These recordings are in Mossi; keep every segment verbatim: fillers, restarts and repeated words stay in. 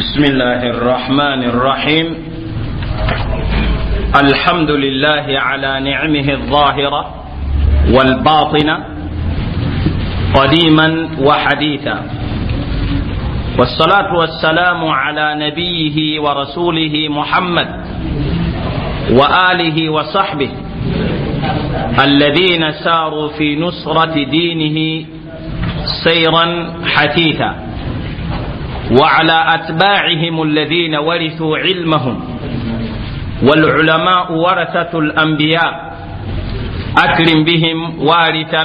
بسم الله الرحمن الرحيم. الحمد لله على نعمه الظاهرة والباطنة قديما وحديثا، والصلاة والسلام على نبيه ورسوله محمد وآله وصحبه الذين ساروا في نصرة دينه سيرا حثيثا، وعلى أتباعهم الذين ورثوا علمهم، والعلماء ورثة الأنبياء أكرم بهم وارثا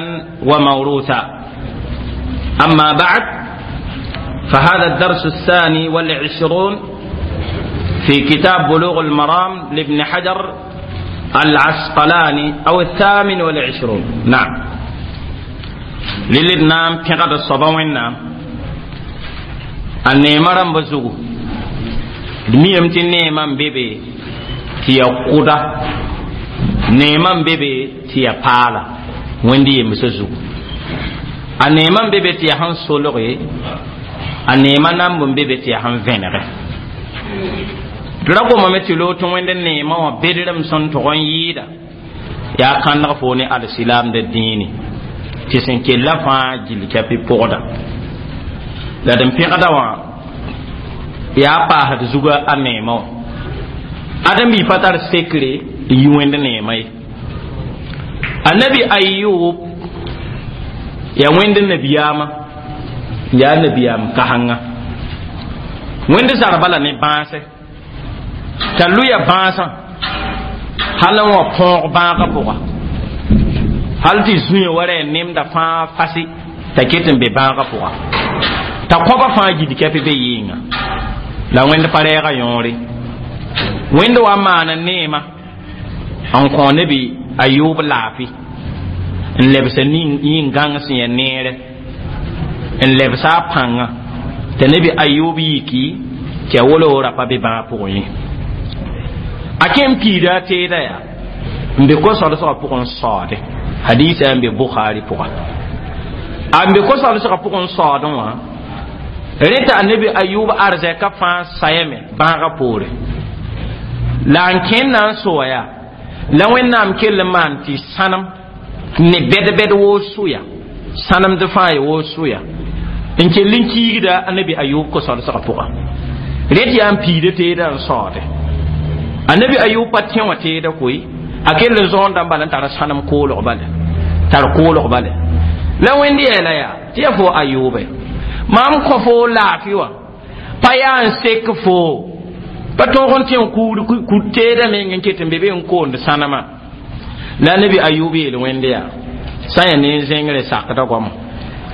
وموروثا. أما بعد، فهذا الدرس الثاني والعشرون في كتاب بلوغ المرام لابن حجر العسقلاني، أو الثامن والعشرون. نعم، للنام في الصباوين. نعم، a neema rãmba zugu d miyame tɩ neemã n be be tɩ ya kʋda, neemã n be be tɩ ya paala wẽnd yemsã zugu, a neemã n be be tɩ ya sẽn solge, a neemã namb n be be tɩ ya sẽn vẽnege. D ra gomame tɩ loog tɩ wẽnd neemã wã bedrem sẽn tog n yɩɩda yaa kãndg fo ne alsilaamda dĩini tɩ sẽn kella fãa gill kɛpɩ pʋgda la d n pẽgda wã yaa paasd zuga a neemã wã. Ãdem-bi pa tar sekre n yi wẽnd neemã ye. Annabi Ayub yaa wẽnd nabiyaamã, yaa nabiyaam kasengã. Wẽnd zarba la ne bãase t'a lʋya bãasã hal n wa põog bãagã pʋga, hal tɩ zũya wa ra nemda fãa fasi t'a ket n be bãagã pʋga, t'a kõba fãa gid kɛpɩ be yɩɩnga. La wẽnd pa rɛɛga yõore, wẽnd wa maana neema n kõ nebi Ayub laafɩ n lebsa yĩn-gãng sẽn ya neere n lebsa a pãngã t'a nebi Ayub yiki tɩ a wolo ra pa be bãag pʋgẽ ye. A kẽ n piida a teeda yaa n be ko-solsgã pʋgẽ n saoode. Hadisa n be Bukhari pʋga. A n be ko-solsgã pʋgẽ n saoodẽ wã, rẽ t'a annabi Ayub arzɛka fãa sayame bãagã poore la n kẽnd na n soa yaa la Wẽnnaam kell n maan tɩ sãnem ne bɛd-bɛd woo sʋya, sãnemd fãa ya woo sʋya n kell n kiigda annabi Ayub ko-solsgã pʋga. Rẽ tɩ yaa n piida teedã n saoode. Annabi Ayub pa tẽ wã teeda koe, a kell n zõondã n bala n tar sãnem koolg bale, tar koolg bale. La Wẽnd yeela yaa tɩ ya fo Ayuube, mam kõ fo laafɩ wã pa yaa n sek fo pa tõog n tẽ n teedã meng n ket n be be n koond sãnema. La nabi Ayub yeel Wẽnd yaa sã n yaa ne n zẽngre sakda goama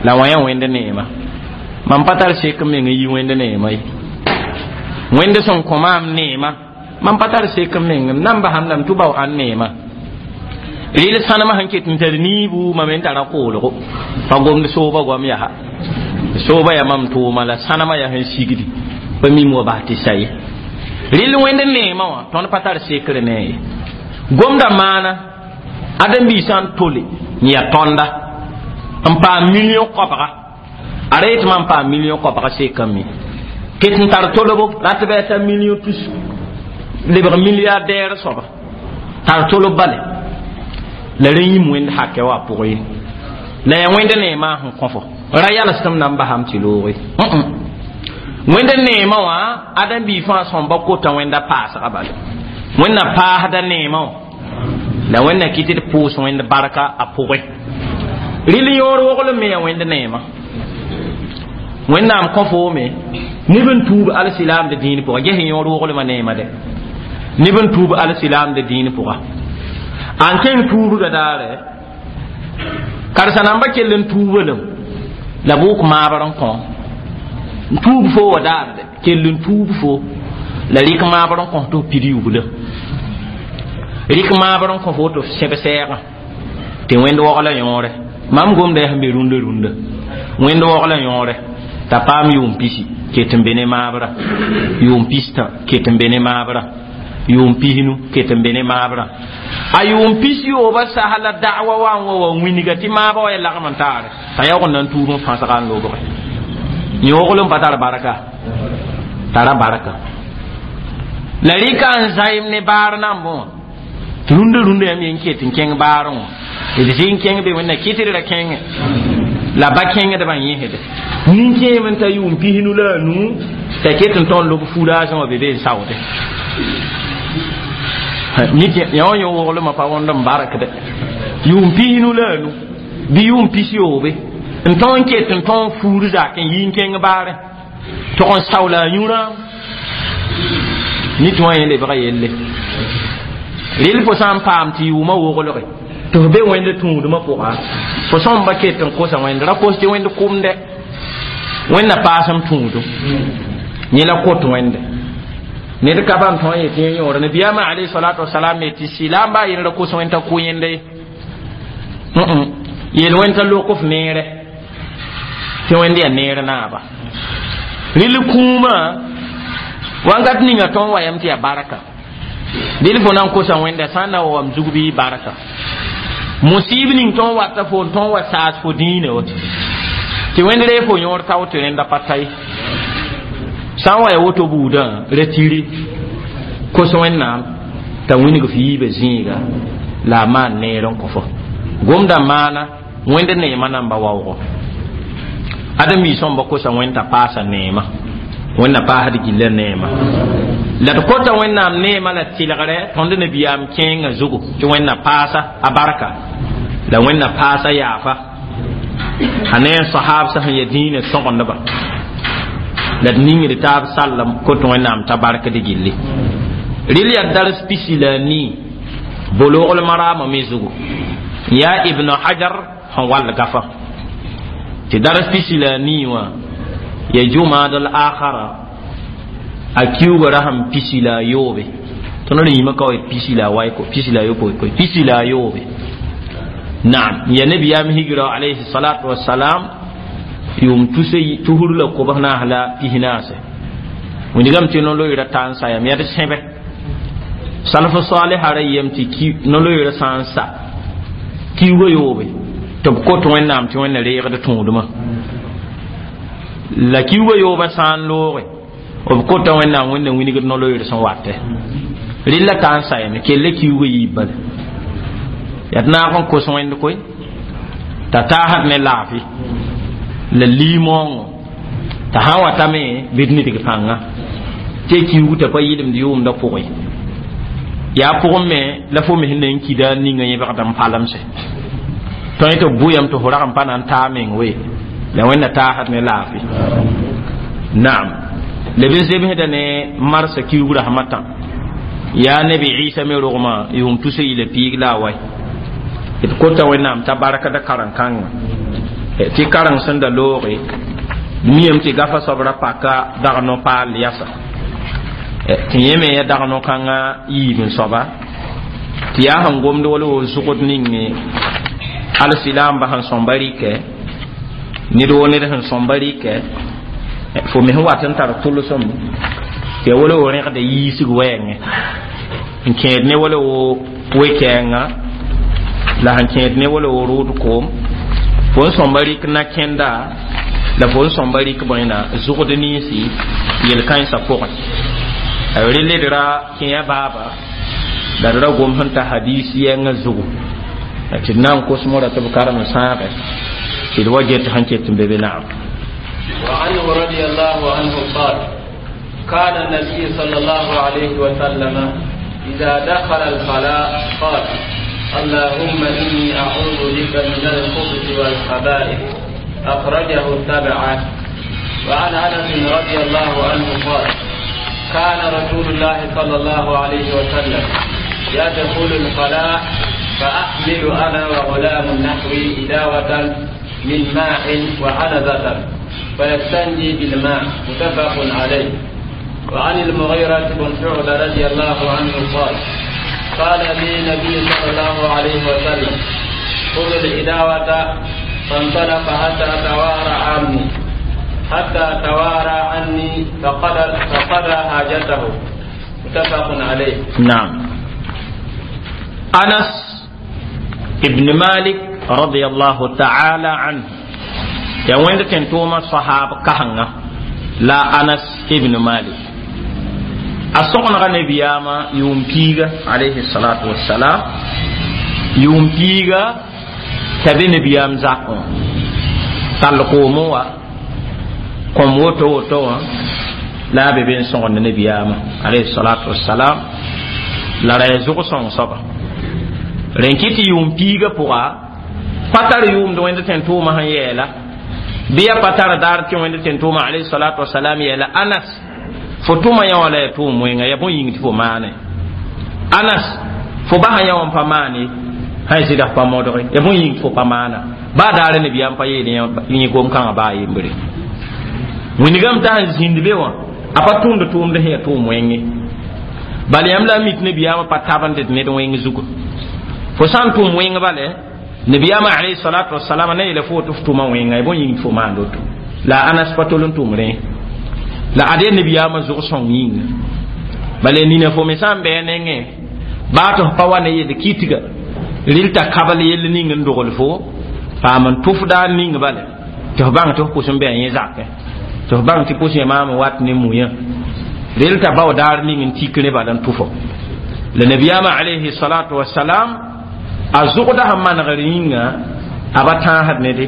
la wã yaa Wẽnd neema, mam pa tar sek n meng n yi Wẽnd neema ye. Wẽnd sẽn kõ maam neema, mam pa tar sek n meng n nan basam lame tɩ bao ãn neema. Rɩl sãnemã sẽn ket n tar niibu mam n tara koolgo pa gomd sooba goam yaa sooba ya mam tʋʋma la sãnemã yaa sẽn sigdi pa mim wa bas tɩ sa ye. Rɩl Wẽnd neemã wã tõnd pa tar sekre ne ye. Gomda maana ãdem-biisã sã n tole n yaa tõnda n paam million koabga, a ra yetɩ mam paam million koabga sekame ket n tar tolbo rat bɩ t'a million tus lebg milliardaire soaba tar tolb bale la rẽ yĩm Wẽnd hakɛ wã pʋgẽ ye. La yaa Wẽnd neemã sẽn kõ fo ra yalsdem na n basam tɩ looge Wẽnd neemã wã. Ãdem-bi fãa sõmba kota Wẽnda paasga bale, Wẽnd na paasda neemã wã la Wẽnd na kɩt d pʋʋs Wẽnd barka a pʋgẽ. Rɩl yõor woglem me yaa Wẽnd neemã. Wẽnnaam kõ foome neb n tuub alsilaamda dĩin pʋga. Ges yõor woglmã neemã dɛ, neb n tuub alsilaamda dĩin pʋga. An kẽng tuubga daare karsa namba kell n tuuba lem la bʋʋk maabr n kõ n tuub fo wa daar dɛ kell n tuub fo la rɩk maabr n kõ tɩ f pid yubla, rɩk maabr n kõ fo tɩ f sẽb sɛɛgã tɩ Wẽnd wogla yõore. Mam gomda yaa sẽn be rũndã rũndã Wẽnd wogla yõore t'a paam yʋʋm pisi ket n be ne maabra, yʋʋm pistã ket n be ne maabra, yʋʋm pisnu ket n be ne maabra. A yʋʋm pis yooba sas la da'wa wa n wa wa wĩnga tɩ maaba wa ya lagm n taare t'a yaoog n na n tuub n fãsga n lobge. Yõoglem pa tar barka. Tara barka la rɩka n zaɩm ne baar nambẽ wã tɩ rũndã rũndã yãmb yen ket n kẽng baarẽ wã d zɩ n kẽng be wẽnna kɩtd ra kẽngẽ la ba kẽngdbã yẽsde nin-kẽem n ta yʋʋm pisnu la a nuu t'a ket n tõnd lob furaasẽ wã be be n saoode yã wã yõ woglmã pa wõnd n barkde yʋʋm pisnu la a nu bɩ yʋʋm pis yoobe n tõog n ket n tõog fuur zak n yi n kẽng baarẽ tog n saoola a yũrã nit wã yẽ lebga yelle rel fo sã n paam tɩ yʋʋmã woglge tɩ f be wẽnd tũudmã pʋga fo sõmba ket n kosa wẽnd ra kos tɩ wẽnd kʋmdɛ wẽnna paasem tũudum yẽ la kot wẽnde ned ka bãmb tõe n yetɩ yẽ yõor nabiyaamã alayhi salatu wasalam me tɩ sɩlaam baa yẽn ra kos wẽnd t'a kʋ yẽnda ye yel wẽnd t'a lok f neere tɩ wẽnd yaa neer naaba rɩl kũumã wankat ninga tõn wa yam tɩ yaa barka dɩl fo na n kosa wẽnda sã n na wa wam zug bɩ barka musib ning tõn wata fo n tõn wa saas fo dĩinã wa tɩ wẽnd ree fo yõor tao tɩ rẽnda pa ta ye sã n wa ya woto buudã ra tiri kos wẽnnaam t'a wĩng f yiibã zĩiga la a maan neer n kõ fo gomda maana wẽnd neemã namba waoogo ãdem-biis sõmba kosa wẽnd t'a paasa neema wẽnna paasd gilla neema la d kota wẽnnaam neema la tɩlgre tõnd nabiyaam kẽengã zugu tɩ wẽnna paasa a barka la wẽnna paasa yaafa a ne a sahabsã sẽn ya dĩinã sõgendba la d ningd taab sall kot wẽnnaam t'a barkd gilli rɩl yaa dars pisi la a nii Boloogl Maraamã me zugu yaa Ibn Hajar sẽn wall gafã tɩ dars pisi la a nii wã ya jumad al akhara a kiuga ra sẽn pisi la a yoobe tõnd rĩimã ka wa pisi la a waiko pisi la a yopoe koe pisi la a yoobe naam ya nabiyaam higra alayhi salatu wassalam yʋʋm tuse tusr la kobs naas la pis naase wĩndgame tɩ no-loeera ta n sayame yaa d sẽbe salf saliha ra yem tɩ no-loeera sã n sa kiuga yoobe tɩ b kot wẽnnaam tɩ wẽnna reegd tũudmã la kiuga yoobã sã n looge b kota wẽnnaam wẽnna wĩnigd no-loeer sẽn watɛ rɩlla ta n sayame kella kiuga yiib bala yaa d naag n kos wẽnd koe t'a taasd ne laafɩ la liimoongo t'a sã n watame bɩ d nidg pãnga tɩ kiugu t'a pa yɩlemd yʋʋmdã pʋgẽ yaa pʋgẽ me la fo me sẽn na n kida ninga yẽbgd n palemse tõe tɩ b bʋyame tɩ fo rag n pa na n taa meng we la wẽnna taasd ne laafɩ naam leb n zemsda ne marsa kiugu rasmã tã yaa nabi Isa me rogmã yʋʋm tusa yila piig la a wai d kota wẽnnaam t'a barkda karen-kãngã tɩ kareng sẽn da looge miyame tɩ gafa soab ra paka dag no-paal yasa tɩ yẽ me ya dag no-kãngã yiib n soaba tɩ yaa sẽn gomd wala wo zʋgd ninge alsilaamba sẽn sõmba rɩkɛ ned woo ned sẽn sõmba rɩkɛ fo me sẽn wat n tar tʋlsem tɩ ya wala wo rẽgda yiisg wɛɛngẽ n kẽed ne wala wo we-kɛɛngã la sẽn kẽed ne wala wo rʋʋd koom fo n sõmba rɩk na-kẽnda la fo n sõmba rɩk bõena zʋgd ninsi yel-kãensã pʋgẽ rel d ra kẽa baaba la d ra gom sẽn ta hadis yɛngã zugu tɩ d na n kos mora tɩ b karem n sãage tɩ d wa get sẽn ket n be be naam. وعنه رضي الله عنه قال: كان النبي صلى الله عليه وسلم إذا دخل الخلاء قال: اللهم إني أعوذ بك من الخبث والخبائث. أخرجه السبعة. وعن أنس رضي الله عنه قال: كان رسول الله صلى الله عليه وسلم يدخل الخلاء فأحمل أنا وغلام نحوي إداوة من ماء وعنزة فيستنجي بالماء. متفق عليه. وعن المغيرة بن شعبة رضي الله عنه قال: قال لي النبي صلى الله عليه وسلم: خذ الإداوة. فانطلق حتى توارى عني حتى توارى عني فقضى فقضى حاجته. متفق عليه. نعم، أنس ابن مالك رضي الله تعالى عنه يا وين تنتوما صحاب كهنغا لا أنس Ibn Malik a sõgenga nabiyaamã yʋʋm piiga alayhi salatu wassalam yʋʋm piiga t'a be nabiyaam zakẽ wã tall koomẽ wa kõm woto woto wã la a be be n sõgend nabiyaamã alayhi salatu wassalam la ra ya zʋg-sõng soaba rẽn kɩ tɩ yʋʋm piiga pʋga pa tar yʋʋmd wẽnd tẽn tʋʋmã sẽn yɛɛla bɩ ya pa tar daar tɩ wẽnd tẽn tʋʋmã alayhi salatu wasalam yɛɛla Anas fo tʋma yã wã la ya tʋʋm wẽnga ya bõe yĩng tɩ fo maane Anas fo basa yã wã n pa maane sã y sɩda f pa modge ya bõe yĩng tɩ fo pa maana baa daare nabiyaam pa yeel yẽ gom-kãngã baa yembre wĩnigame t'a sẽn zĩnd be wã a pa tʋʋmd tʋʋmd sẽn ya tʋʋm wẽnge bala yãmb la a mik nabiyaamã pa tabend d ned wẽng zugu fo sã n tʋm wẽng bale nabiyaamã alayhi salatu wasalam na yeela fo tɩ f tʋma wẽnga ya bõe yĩng tɩ fo maand woto la Anas pa tol n tʋm rẽ la ad ya nabiyaamã zʋg-sõng yĩnga bala nina fo me sã n bɩ a nengẽ baa tɩ f pa wa ne yel kitga rɩl t'a kabl yell ning n dogl fo paam n tʋfda ning bale tɩ f bãng tɩ f pʋs n bɩ a yẽ zakẽ tɩ f bãng tɩ pʋs yã maam n wat ne muyã rel t'a bao daar ning n tik ne bala n tʋfo la nabiyaamã alayhi salatu wasalam a zʋgda sẽn manegr yĩnga a ba tãasd nede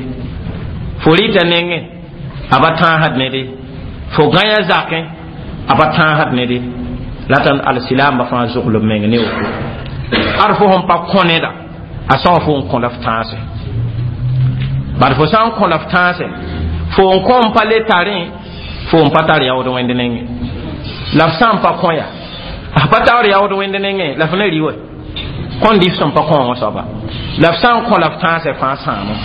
fo rɩta nengẽ a ba tãasd nede fo gãya zakẽ a ba tãasd nede la tã alsilaamba fãa zʋglb meng ne woto ad fo sẽn pa kõ neda a sõa fo n kõ la f tãase bad fo sã n kõ la f tãase fo n kõ n pa le tarẽ fo n pa tar yaood wẽnd nengẽ la f sã n pa kõ ya a pa taoor yaood wẽnd nengẽ la f na rɩ wa kõn dɩf sẽn pa kõ wã soaba la f sã n kõ la f tãasɛ fãa sãamo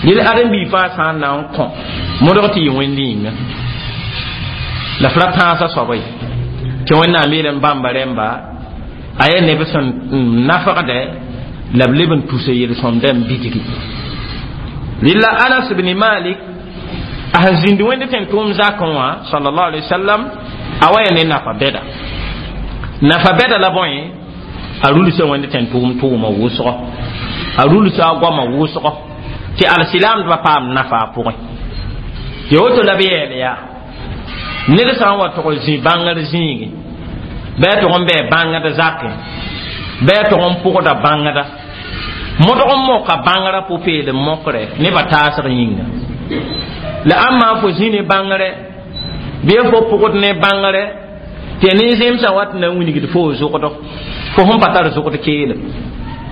rel ãdem-biig fãa sã n na n kõ modg tɩ yɩ wẽnd yĩnga la f ra tãasã soaba ye tɩ wẽnnaam yeelame bãmba rẽmba a yaa neb sẽn nafgdɛ la b leb n tusa yel-sõmdã n bidgi rɩla Anas bni Malik a sẽn zĩnd wẽnd tẽn tʋʋm zakẽ wã sallallahu alaihi wasallam a wa ya ne nafa bɛda nafa bɛda la bõe a rulsa wẽnd tẽn tʋʋm tʋʋma wʋsgɔ a rulsa a goama wʋsgɔ tɩ alsilaamdbã paam nafa a pʋgẽ tɩ woto la b yɛɛl yaa ned sã n wa tʋg zĩ bãngr zĩigi bɩ a tʋg n bɩ bãngd zakẽ bɩ a tʋg n pʋgda bãngda modg n moka bãngrã pʋ-peelem mokrɛ nebã taasg yĩnga la ãmba fo zĩ ne bãngrɛ bɩ fo pʋgd ne bãngrɛ tɩ nin-zẽmsã wat na n wilgd fo zʋgdg fo sẽn pa tar zʋgd keelem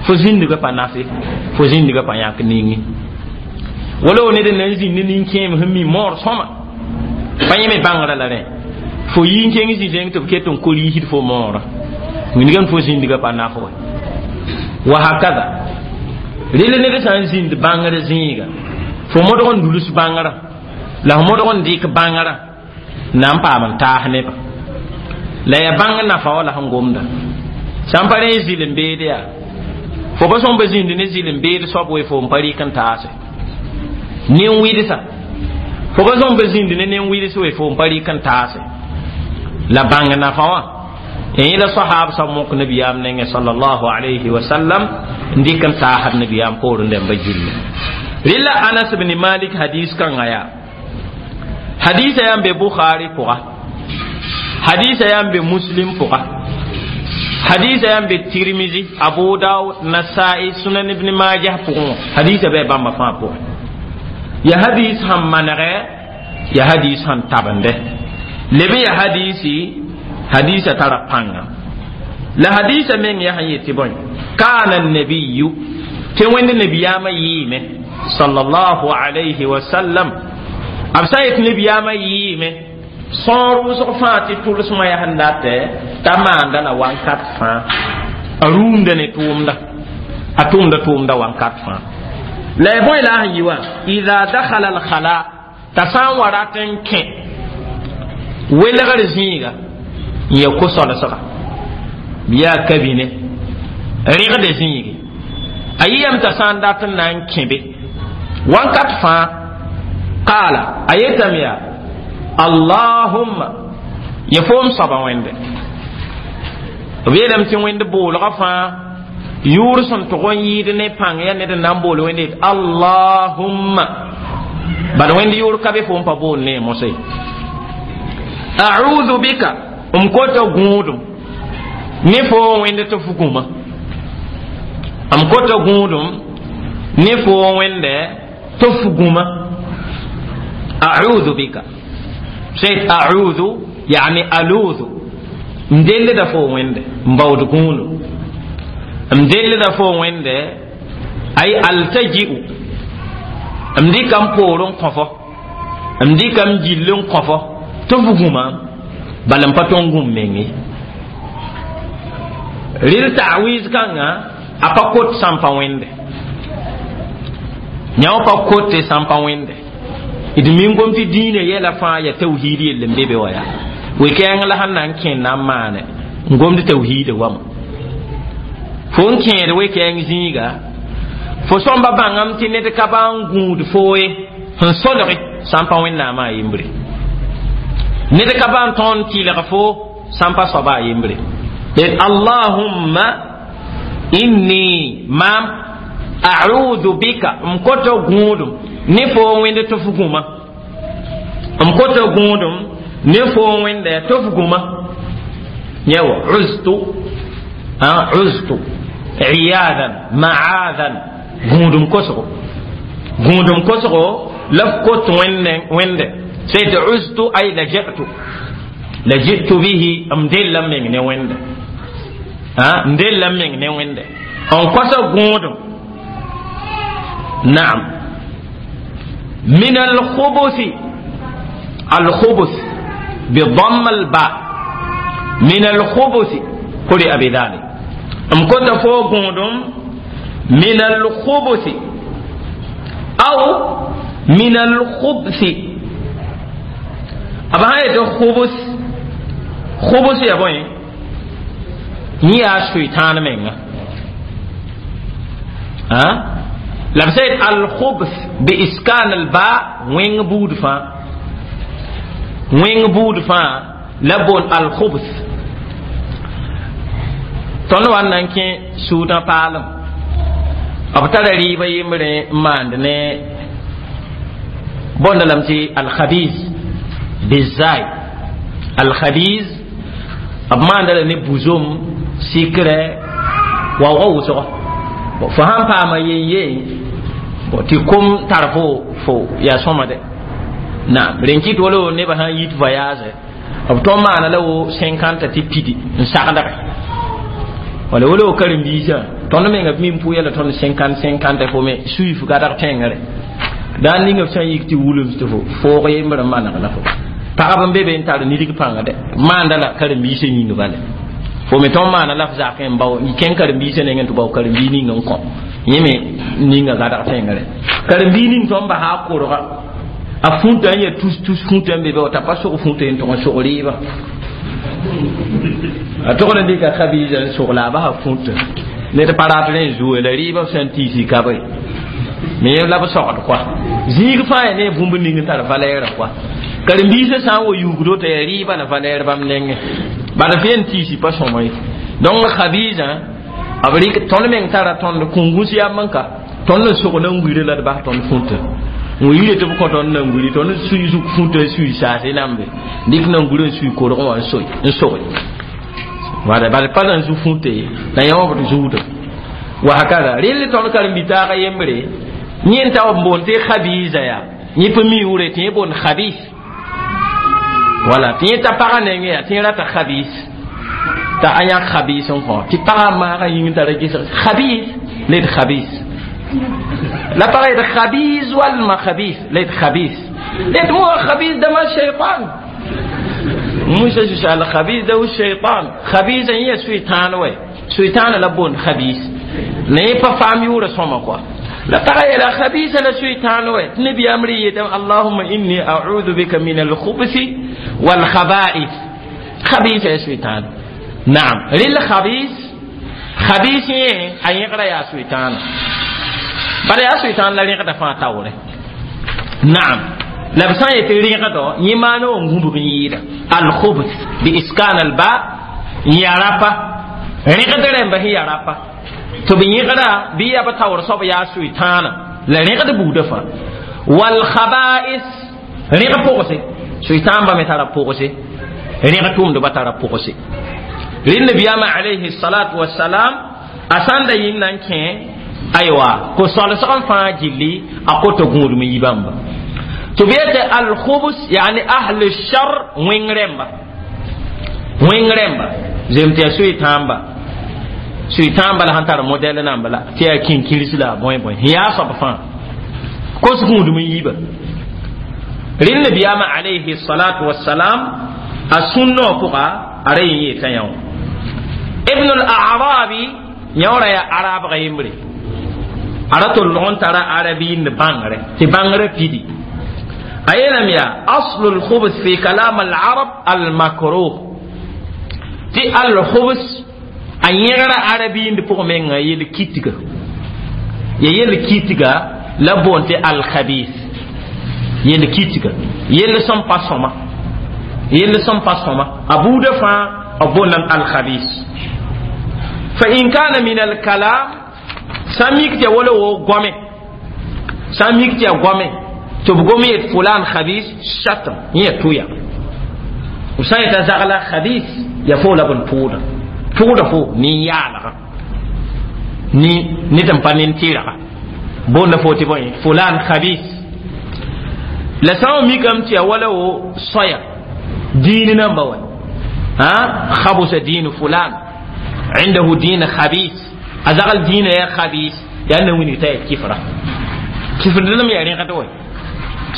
fo zĩndgã pa nafe fo zĩndgã pa yãk ningi wala wo ned n na n zĩnd ne nin-kẽem sẽn mi moor sõma pa yẽ me bãngrã la rẽ fo yi n kẽng zĩ-zẽng tɩ b ket n ko-riisd fo moorã wilgame fo zĩndgã pa naf wa wa hakada rel ned sã n zĩnd bãngr zĩiga fo modg n duls bãngrã la f modg n dɩk bãngrã na n paam n taas nebã la ya bãng nafa wa la sẽn gomda sã n pa rẽ zɩl n beed yaa fo pa sõm pa zĩnd ne zɩl n beed soab we fo n pa rɩk n taase nin-wɩdsa fo pa sõm pa zĩnd ne nin-wɩds we fo n pa rɩk n taase la bãng nafa wã yẽla sahab sa mok nabiyaam nengẽ sallallahu alayhi wa sallam n dɩk n taasd nabiyaam poorẽ dẽmba gilli rɩla Anas bn Malik hadis kãngã yaa hadisa yaa n be Bukhari pʋga hadisa yaa n be Muslim pʋga hadisa yaa n be Tirmizi Abu Dawud Nasai Sunan Ibn Majah pʋgẽ wã hadisa bɩ bãmba fãa pʋgẽ ya hadis sẽn manegɛ ya hadis sẽn tabende leb ya hadisi hadisa tara pãnga la hadisa meng yaa sẽn yetɩ bõe kana nabiyu tɩ wẽnd nabiyaamã yɩɩme sallallahu alayhi wa sallam b sã n yetɩ nabiyaamã yɩɩme sõor wʋsg fãa tɩ tʋlsmã yaa sẽn datɛ t'a maanda la wankat fãa a rũumda ne tʋʋmda a tʋʋmda tʋʋmda wankat fãa la ya bõe la a sẽn yɩ wã ida dakhala alkhala t'a sã n wa rat n kẽ welgr zĩiga n ya ko-solsga bɩ yaa kabine rɩgd zĩigi a yɩyame t'a sã n dat n na n kẽ be wankat fãa qaala a yetame yaa allahumma ya foom soaba wẽnde b yeelame tɩ wẽnd boolgã fãa yʋʋr sẽn tʋg n yɩɩd ne pãng yaa ned n na n bool wẽnde yet allahumma bad wẽnd yʋʋr ka be fo n pa bool ne mosã ye A'udhu bika m kota gũudum ne fo wẽnd tɩ f gũma m kota gũudum ne fo wẽnde tɩ f gũma a'udhu bika sey a'udhu yani aludhu m dellda fo wẽnde m baood gũudum m dellda fo wẽnde ay altaji'u m dɩka m poor n kõ fo m dɩka m gill n kõ fo tɩ f gũma bala n pa tõe n gũm meng ye rɩl ta'wiz kãngã a pa kot sãn pa wẽnde yã wã pa kote sãn pa wẽnde d min gom tɩ dĩinã yɛla fãa ya tawhiid yell n be be wa yaa we-kɛɛng la sẽn na n kẽnd na n maane n gomd tawhiida wama fo n kẽed we-kɛɛng zĩiga fo sõmba bãngame tɩ ned ka ba n gũud foo ye sẽn solge sã n pa wẽnnaamã a yembre ned ka ba n tõnd tɩlg fo sã n pa soaba a yembre d allahumma inni maam a'udhu bika m kota gũudum ne fo wẽnd tɩ f gũma m kota gũudum ne fo wẽnde tɩ f gũma yã wa uztu uztu iyadan ma'adan gũudum kosgo gũudum kosgo la f kot wẽnde wẽnde sey tɩ uztu ay laja'tu laji'tu bihi m della m meng ne wẽnde m della m meng ne wẽnde n kosa gũudum naam min alkhubuthi alkhubuth بضم الباء من الخبث قرئ بذلك ام كنت فوق من الخبث أو من الخبث أبا هاي خبث خبث يا بوي ني شيطان منغا ها la b الخبث بإسكان الباء wẽng buud fãa wẽng buud fãa la boon alkhubth tõnd wa n na n kẽ suudã paalem b tara rɩɩbã yembre n maand ne bõnda lame tɩ alkhabiz bizai alkhabiz b maanda la ne buzom sikrɛ waoogã wʋsgɔ fo sãn paama yen yen tɩ kom tar fo fo yaa sõma dɛ naam rẽn kɩt wala nebã sãn yit voyage b tõnd maana la wo cinquante tɩ pidi n sagdge wala wala wo karen-biisã tõnd menga b min pʋʋ la tõnd cinquante cinquante fo me suif gadg tẽngre daan ninga b sã n yik tɩ wulem tɩ fo foog yembr n maneg la fo pagb n be be n tar nidg pãnga dɛ maanda la karen-biisã yĩng bale fo me tõnd maana la f zak n bao kẽng karen-biisã nengẽ tɩ bao karen-bii ning n kõ yẽ me ninga gadg tẽngre karen-bii ning tõnd basa a korga a fũta n ya tus tus fũta n be be t'a pa sog fũta n tʋg n sog rɩɩbã a togd n dɩka khabiza n sog la a basa fũta ned pa rat rẽ zuo la rɩɩbã b sã n tiisi kabe me la b sogd kɔa zĩig fãa yaa ne bũmb ning n tar valɛɛrã kɔa karen-biisã sã n wa yuugdo t'a yaa rɩɩbã la valɛɛr bãmb nengẽ bad f yen tiisi pa sõma ye donc khabiza b rɩk tõnd meng tara tõnd kũngũs yam n ka tõnd n sog na n wire la d bas tõnd fũta n yire tɩ b kõ tõnd nan-guri tõnd sui zug fũta n sui saase nambe dɩk nan-guri n sui korgẽ wã n soe n soge wala bala pa na n zu fũta ye la yã wã b d zuuda wa hakada rel tõnd karen-bi-taaga yembre yẽ n ta b boond tɩ khabiza yaa yẽ pa mi yʋʋre tɩ yẽ boond khabis wala tɩ yẽ ta pagã nengẽ yaa tɩ yẽ rata khabis t'a a yãk khabis n kõ tɩ pagã maagã yĩng tara gesg khabis la d khabis la pagã yet khabis walma khabis la yet khabis la yet mo khabis dama shaytan musa sus al khabis da shaytan khabis yẽ suytãan wɛ suytãana la boond khabis la yẽ pa faam yʋʋra sõma kɔa la pagã yeela khabisa la suytãan wɛ tɩ nabiyaam rɩ yetame allahuma inni a'udhu bika min alkhubthi walkhaba'ith khabisa ya suytãan naam rɩl khabis khabis yẽ a yẽgra yaa suytãana bala yaa suytãan la rẽgda fãa taoore naam la b sã n yetɩ rẽgdɔ yẽ maana wã gũbg n yɩɩda alkhubth bi iskan alba n ya rapa rẽgd rẽmba sẽn ya rapa tɩ b yẽgda bɩ ya b taoor soab yaa suytãana la rẽgd buudã fãa walkhaba'is rẽg pʋgse suytãan ba me tara pʋgse Rẽg tʋʋmdbã tara pʋgse. Rẽnd nabiyaamã alayhi salatu wasalam a sãn da yĩng na n kẽ, aywa, ko-solsg n fãa gilli a kota gũudum n yi bãmba tɩ b yetɩ alkhubs, yani ahl shar, wẽng rẽmba, wẽng rẽmba zem tɩ yaa soy-tãamba, soy-tãamba la sẽn tar modɛl namba la tɩ yaa kĩnkĩrs la a bõe bõe sẽn yaa soab fãa kos gũudum n yiiba. Rẽnd nabiyaamã alayhi salatu wasalam a sũnnã pʋga a ra yẽ yeeta yã wã Ibn al-Arabi yãoora yaa arabga yembre, a ra tɩ log n tara arabiind bãngre tɩ bãngrã pidi. A yeelame yaa aslu lkhubs fi kalam al-arab al-makruh, tɩ al-khubs a yẽgra arabiind pʋg menga yel kitga, ya yel kitga la boon tɩ al-khabis, yel kitga, yell sẽn pa sõma, yell sẽn pa sõma a buudã fãa b boondame al-khabis. Fa in kana min al-kalam, sã n mik tɩ ya wala wo goame, sã n mik tɩ ya goame tɩ b gom yet fulan khabis shatm, yẽ ya tʋya. B sã n yeta zagla khabis, ya fo la b n tʋʋda tʋʋda fo nin-yaalga ni ned n pa nin-tɩrga boonda fo tɩ bõe fulan khabis. La sã n mikame tɩ ya wala wo soya diin namba wa ha khabusa diin fulan, عنده دين خبيث، أزغل دين يا خبيث، لأنه وين يتاي كفرة كفر لم يعني قدوي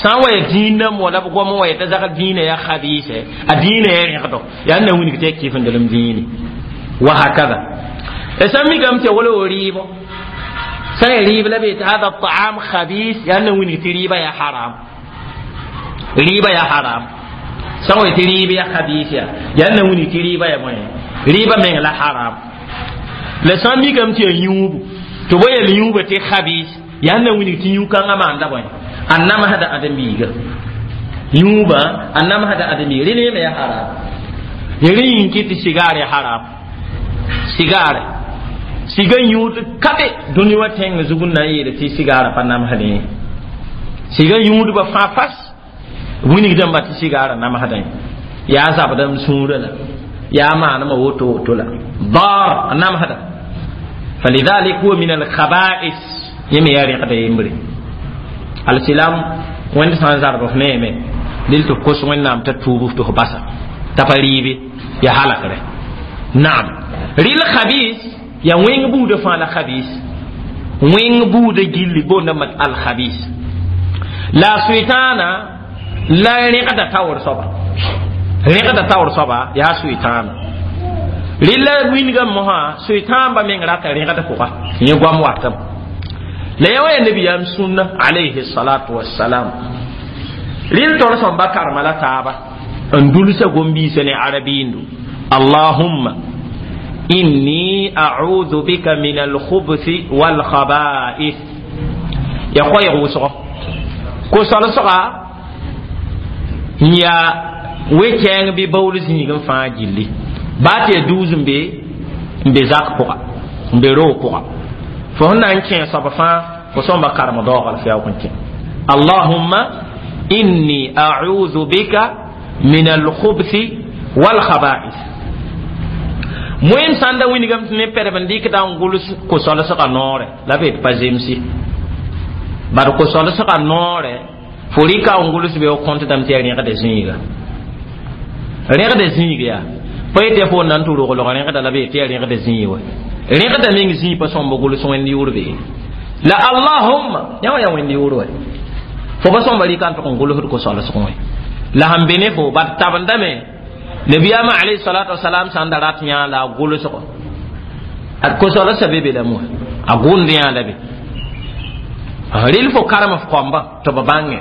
سان دين ولا بقوم ويتزغل دين يا خبيث، الدين يا قدو لأنه وين يتاي كفر لم ديني وهكذا. اسمي قمت ولا ريبو سان ريب لبيت هذا الطعام خبيث، لأنه وين يتريبا يا حرام، ريبا يا حرام. سان يتريبا يا خبيث، لأنه وين يتريبا يا موين riba meng la haram. La sã n mikame tɩ yaa yũubu tɩ bo yel yũuba tɩ khabis, yaa na wilg tɩ yũ-kãngã maanda bõe a namsda ãdem-biiga yũubã a namsda ãdem-biiga rẽ neeme yaa haram. Rẽ yĩng kɩ tɩ sigaar ya haram, sigaare siga yũud ka be dũni wã tẽng zug n na n yeele tɩ sigaarã pa namsdẽ. Siga yũudbã fãa fas wilgdãmba tɩ sigaarã namsdẽ yaa zabdame sũurã la يا ما أنا woto woto la ضار نعم هذا. فلذلك هو من الخبائث يمي ياري قد يمري السلام وين سان زار بف نيمه دل تو كوس وين نام تتوب تو باسا تفريبي يا حالك ره. نعم ريل خبيث يا وين بود فان الخبيث وين بود جيل بون مت الخبيث لا سويتانا لا ريقة تاور صبا rẽgda taoor soaba yaa sʋɩtãana rɩla wingame mosã sʋɩtãamba meng rata rẽgd pʋga yẽ goam watame la yã wã yaa nabiyaam sũnna alayhi salatu wassalam. Rɩl tol sõmba karema la taaba n dulsa gom-biisã ne arabiindu allahumma inni a'udhu bika min alkhubthi walkhaba'ith ya koɛɛg wʋsgo ko-solsga n yaa we-kɛɛng bɩ baool zĩig n fãa gilli baa tɩ yaa duus n be n be zak pʋga n be roog pʋga fo sẽn na n kẽ soab fãa fo sõmba karem daoog la fo yaoog n kẽ allahumma inni a'udhu bika min alkhubthi walkhaba'ith. Moem sãn da wilgame tɩ ne pɛdb n dɩkda n gʋls ko-solsgã noorɛ la b yet pa zemsi bad ko-solsgã noorɛ fo rɩka n gʋls be f kõntdame tɩ yaa rẽgda zĩiga rẽgda zĩig yaa pa yetɩ yaa fo na n tɩ roglg rẽgda la b yetɩ yaa rẽgda zĩig wa rẽgda meng zĩig pa sõmb gʋls wẽnd yʋʋr be la allahumma yã wã yaa wẽnd yʋʋr wa fo pa sõmba rɩka n tʋg n gʋlsd ko-solsg wã la sẽn be ne fo bad tabendame nabiyaamã alayhi salatu wasalam sãn da rat yã la a gʋlsgo ad ko-solsã be be lame wã a gʋnd yã la be rɩl fo karem f kõmba tɩ b bãnge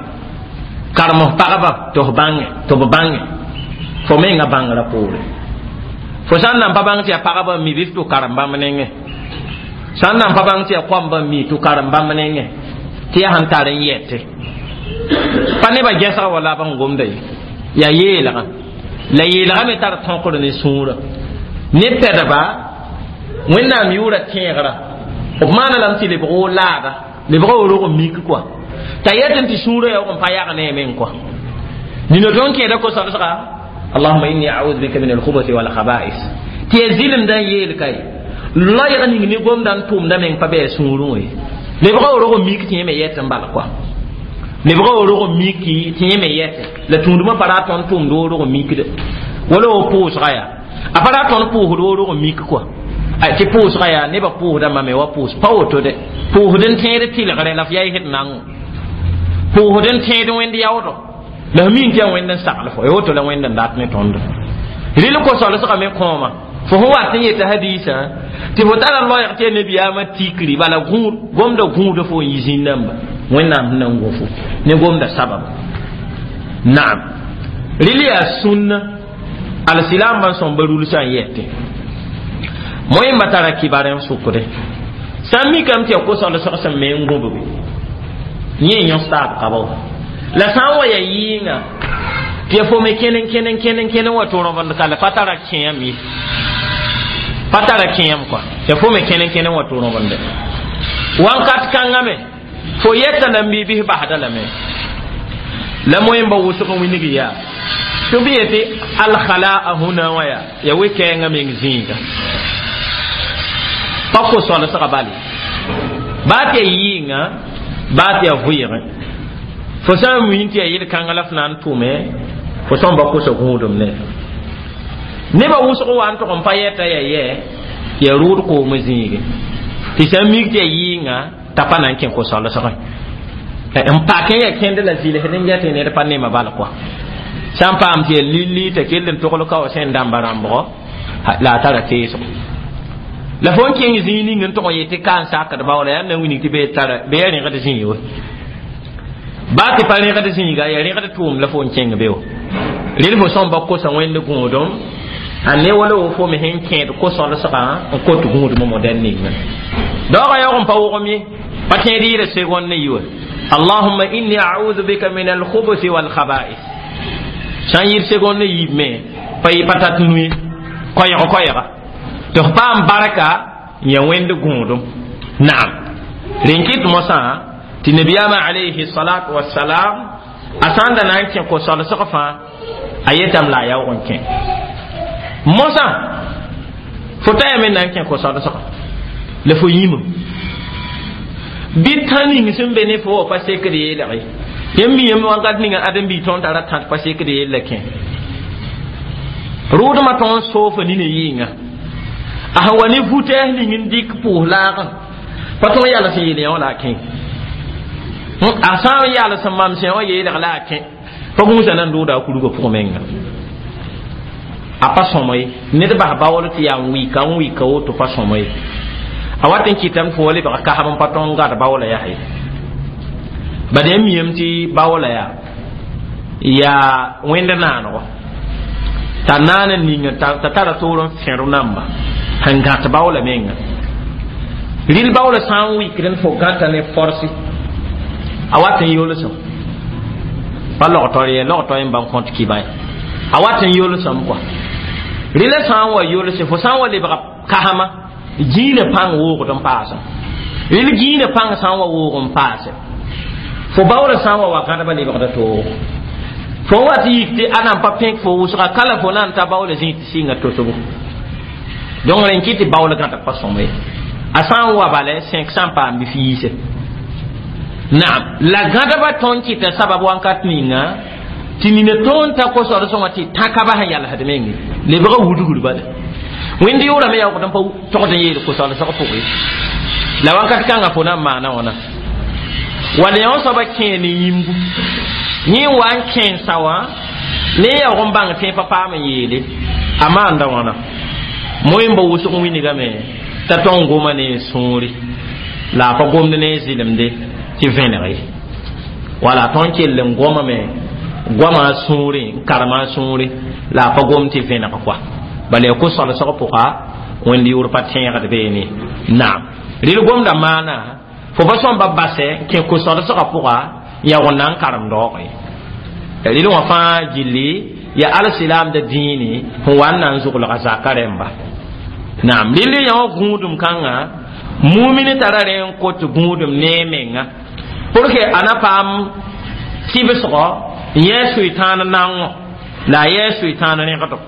karem f pagba tɩ f bãnge tɩ b bãnge fo menga bãngrã poore fo sãn na n pa bãng tɩ yaa pagba n mi bɩ f tʋ karem bãmb nengẽ sãn na n pa bãng tɩ yaa kõmba n mi tʋ karem bãmb nengẽ tɩ yaa sẽn tar n yɛte pa nebã gɛsga wa la b n gomda ye yaa yeelgã la yeelgã me tar tõkr ne sũurã ne pɛdba wẽnnaam yʋʋra tẽegrã b maana lame tɩ lebg o laada lebg o rog n mik kɔa t'a yetẽ tɩ sũurã yaoog n pa yag ne a meng kɔa nina tõnd kẽeda ko-solsga Allahumma inni a'udhu bika min al-khubuthi wal khaba'is tɩ ya zɩlemdã n yeel ka ye loɛɛg ning ne gomdã n tʋʋmdã meng pa bɩ a sũurẽ ye lebga worg n mik tɩ yẽ me yɛt n bala kɔa lebga worg n miki tɩ yẽ me yɛte la tũudmã pa ra tõnd tʋʋmd worg n mikde wala wo pʋʋsga yaa a pa ra tõnd pʋʋsd worg n mik kɔa tɩ pʋʋsga yaa nebã pʋʋsdãmbã me wa pʋʋs pa woto de pʋʋsd n tẽed tɩlgre la f yaa d nango pʋʋsd n tẽed wẽnd yaoodɔ la f min tɩ yaa wẽnd n sagl fo woto la wẽnd n dat ne tõndo rɩl ko-solsgã me kõoma fo sẽn wat n yeta hadiisã tɩ fo tara loɛɛg tɩ ya nabiyaamã tikri bala gũud gomda gũuda fo n yi zĩn-dãmba wẽnnaam sẽn na n gõ fo ne gomda sababa naam rɩl yaa sũnna alsilaambã n sõmba rulsã n yɛtẽ moẽmba tara kibar n sʋkde sã n mikame tɩ ya ko-solsg sẽn me n gũbbe yẽ yõs taab ka ba la sã n wa ya yɩɩnga tɩ ya fo me kẽne kẽne kẽne kẽne wa tɩ rõbend ka la pa tara kẽem ye pa tara kẽem kɔa ya fo me kẽne kẽne wa tɩ rõbende wãnkat kãngã me fo yɛta la n biibis basda lame la moẽmba wʋsg n wilg yaa tɩ b yetɩ alkhalaa hũna wã yaa ya we-kɛɛngã meng zĩiga pa ko-solsga bale baa tɩ ya yɩɩnga baa tɩ ya vʋɩɩgẽ fo sã n wĩn tɩ ya yel-kãngã la f na n tʋme fo sõmba kosa gũudum ne nebã wʋsg wa n tʋg n pa yɛta ya yɛ ya rʋʋd koom zĩige tɩ sã n mik tɩ ya yɩɩnga t'a pa na n kẽ ko-solsgẽ n pakẽ ya kẽnd la zɩlsd n gɛtẽ ned pa nema bal kɔa sã n paam tɩ ya lilli t'a kell n togl ka wa sẽn dãmba rãmbgɔ la a tara teesgo la fo n kẽng zĩig ning n tʋg n yetɩ ka n sakd baoola yaa na n wilg tɩ bee tara bee ya rẽgd zĩig we baa tɩ pa rẽgd zĩiga ya rẽgd tʋʋm la fo n kẽng be wa rel fo sõmba kosa wẽnd gũudum a ne wala wo fo me sẽn kẽed ko-solsgã n kot gũudmã modɛl ninga daoogã yaoog n pa wogem ye pa tẽed yɩɩda segond ne yi wa allahumma inni a'udhu bika min alkhubuthi walkhaba'ith sã n yɩɩd segond ne yiib me pa yɩ pa tat nu ye koɛɛg koɛɛga tɩ f paam barka n ya wẽnd gũudum naam rẽn kɩt mosã tɩ nabiyaamã alayhi salatu wasalam a sã n da na n kẽ ko-solsg fãa a yetame la a yaoog n kẽ mosã fo ta yame na n kẽ ko-solsga la fo yĩme bɩ tã ning sẽn be ne fo wa pa sekd yeelg ye yãmb mi yãmb wakat ninga ãdem-biig tõnd tara tãt pa sekd yella kẽ rʋʋdmã tõnd soofa nina yɩɩnga a sẽn wa ne vutɛɛs ning n dɩk pʋʋs laagã pa tõnd yals n yeel yã wã la a kẽ a sã n yals n mam sẽ wã yeelg la a kẽ pa gũusa na n dʋʋda a kurgã pʋgẽ menga a pa sõma ye ned bas baool tɩ yaa n wɩka n wɩka woto pa sõma ye a wat n kɩtame tɩ fo wa lebga kasb n pa tõnd gad baoola yaa ye bad yãmb miyame tɩ baoola yaa yaa wẽnd naanego t'a naan n ninga t'a tara toor n fẽr namba sẽn gãt baoola menga rɩl baoola sã n wɩkd n fo gãta ne forsi a wat n yolsem pa logtɔ ye logtɔ n bãmb kõt kɩba ye a wat n yolsem kɔa rɩla sã n wa yolse fo sã n wa lebga kasma gĩinã pãng woogd n paasem rɩl gĩinã pãng sã n wa woog n paase fo baoola sã n wa wa gãdba lebgda toogo fo wat yik tɩ a nan pa pẽk fo wʋsga kala fo na n ta baoola zĩig tɩ sɩnga tosgo donc rẽn kɩ tɩ baool gãdg pa sõma ye a sã n wa bala sẽk sã n paam bɩ f yiise naam la gãdba tõnd kɩta sabab wãnkat ninga tɩ nina tõnd ta ko-solsẽ wã tɩ tãka sẽn yalsd menge lebga wudgr bala wẽnd yʋʋrame yaoogd n pa togd n yeel ko-solsg pʋgẽ la wãnkat kãngã fo na n maana wãna wala yõ soaba kẽe ne yĩmbu yẽ wa n kẽensa wã ne yaoog n bãng tẽ pa paam n yeele a maanda wãna moẽmba wʋsg wilgame t'a tõng goma ne sũuri la a pa gomd ne zɩlemde tɩ vẽneg ye wala tõnd kell n gomame goama sũurẽ n karema sũuri la a pa gom tɩ vẽneg kɔa bala ya ko-solsg pʋga wẽnd yʋʋr pa tẽegd beene naam rɩl gomda maana fo pa sõmba basɛ n kẽ ko-solsgã pʋga yaoog n na n karem daoog ye rɩl wã fãa gilli ya alsilaamda dĩine sẽn wa n na n zuglga zaka rẽmba naam rɩl yã wã gũudum kãngã mumini tara rẽ n kot gũudum ne menga pour que a na paam kibsgɔ n yẽ sʋɩ-tãan nango La a yɛɛ soetãan rẽgdo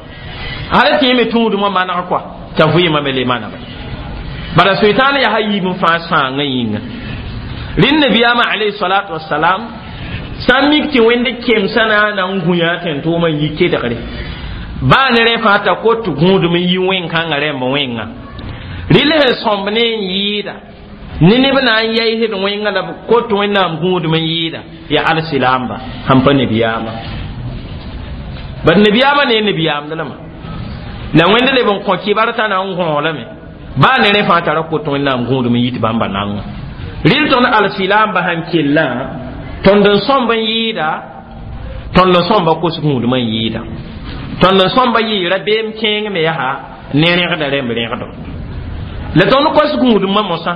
hal tɩ yẽ me tũudmã maneg kɔa t'a vɩɩmã me le manege bala soetãan yaa a yiib n fãa sãangã yĩnga rẽnd nabiyaamã alayhi salatu wasalam sã n mik tɩ wẽnd kemsã na n na n gũ yaa tẽn-tʋʋmã n yi kedgre baa ne rẽ fãa t'a kot gũudem n yi wẽn-kãngã rẽmb wẽnga rɩl sẽn sõmb ne n yɩɩda ne neb na n yaisd wẽnga la b kot wẽnnaam gũudem n yɩɩda yaa alsilaamba sãn pa nabiyaamã bad nabiyaamã ne nabiyaamd lama la wẽnd leb n kõ kibar t'a na n gõolame baa ne rẽ fãa tara kot wẽnnaam gũudem n yit bãmba nanga rɩl tõnd alsilaamba sãn kellã tõnd n sõmb n yɩɩda tõnd n sõmba kos gũudmã n yɩɩda tõnd n sõmba yɩɩ rabeem kẽeng me yaa ne rẽgda rẽmb rẽgdo la tõnd kos gũudmã mosã